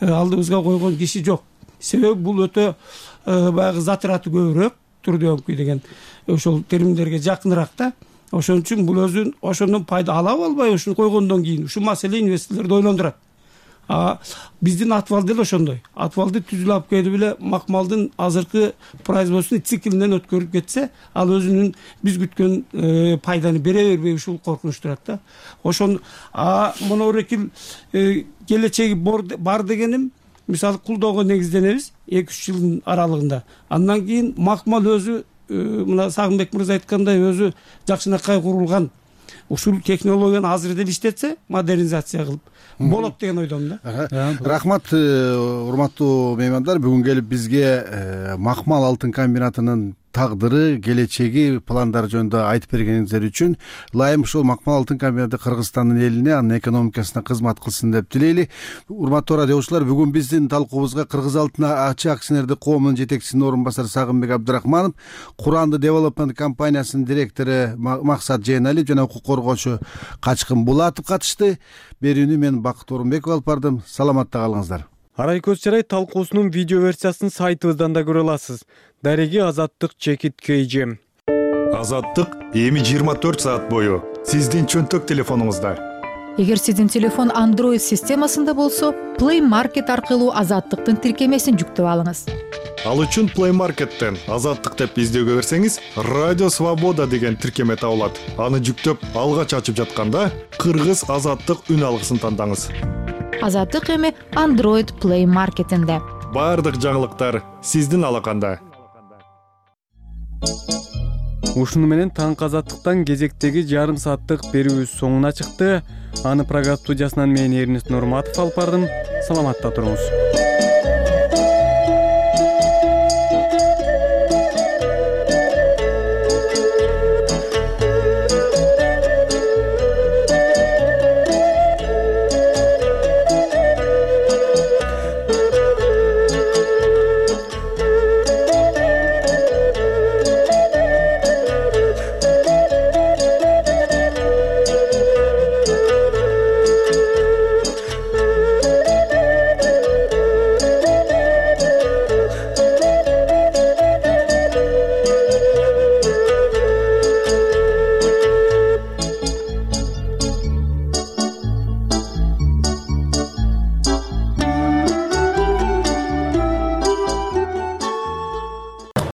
S6: алдыбызга койгон киши жок. Себеби бул өтө баягы затраты көбүрөөк, трудоемкий деген ошол терминдерге жакыныраак да. Ошон үчүн бул өзүн ошондон пайда алабы албайбы ушуну койгондон кийин ушул маселе инвесторлорду ойлондурат. Биздин отвал деле ошондой. Отвалды түзүлүп алып келип эле макмалдын азыркы производственный циклинен өткөрүп кетсе, ал өзүнүн биз күткөн пайданы бере бербей ушул коркунуч турат да. Ошон монорекил келечеги бар дегеним, мисалы кулдоого негизденебиз 2-3 жылдын аралыгында. Андан кийин макмал өзү мына Сагынбек мырза айткандай өзү жакшынакай курулган. Ушул технологияны азыр деле иштетсе, модернизация кылып болот деген ойдомун да.
S5: Рахмат, урматтуу меймандар, бүгүн келип бизге макмал алтын комбинатынын тагдыры, келечеги, пландары жөнүндө айтып бергениңиздер үчүн ылайым ушул макмал алтын комбинаты Кыргызстандын элине, анын экономикасына кызмат кылсын деп тилейли. Урматтуу радиочулар, бүгүн биздин талкуубузга Кыргыз алтын АЧ акционердик коомунун жетекчисинин орун басары Сагынбек Абдрахманов, Куранды Девелопмент компаниясынын директору Максат Женалиев жана укук коргоочу Качкын Булатов катышты. Берүүнү мен Бакыт Орунбеков алып бардым. Саламатта калыңыздар.
S20: Арай көз чарай талкуусунун видео версиясын сайтыбыздан да көрө аласыз. Дареги Азаттык чекит KG.
S14: Азаттык эми 24 саат бою сиздин чөнтөк телефонуңузда.
S9: Эгер сиздин телефон Android системасында болсо, Play Market аркылуу Азаттыктын тиркемесин жүктөп алыңыз.
S14: Ал үчүн Play Market'тен Азаттык деп издөөгө берсеңиз, Радио Свобода деген тиркеме табылат. Аны жүктөп алгач ачып жатканда Кыргыз Азаттык үн алгысын тандаңыз.
S9: Азаттык эми Android Play Market'инде.
S14: Бардык жаңылыктар сиздин алаканда.
S20: Ушуну менен таңкы азаттыктан кезектеги жарым сааттык берүүбүз соңуна чыкты. Аны программа студиясынан мен Эрнест Нурматов алып бардым. Саламатта туруңуз.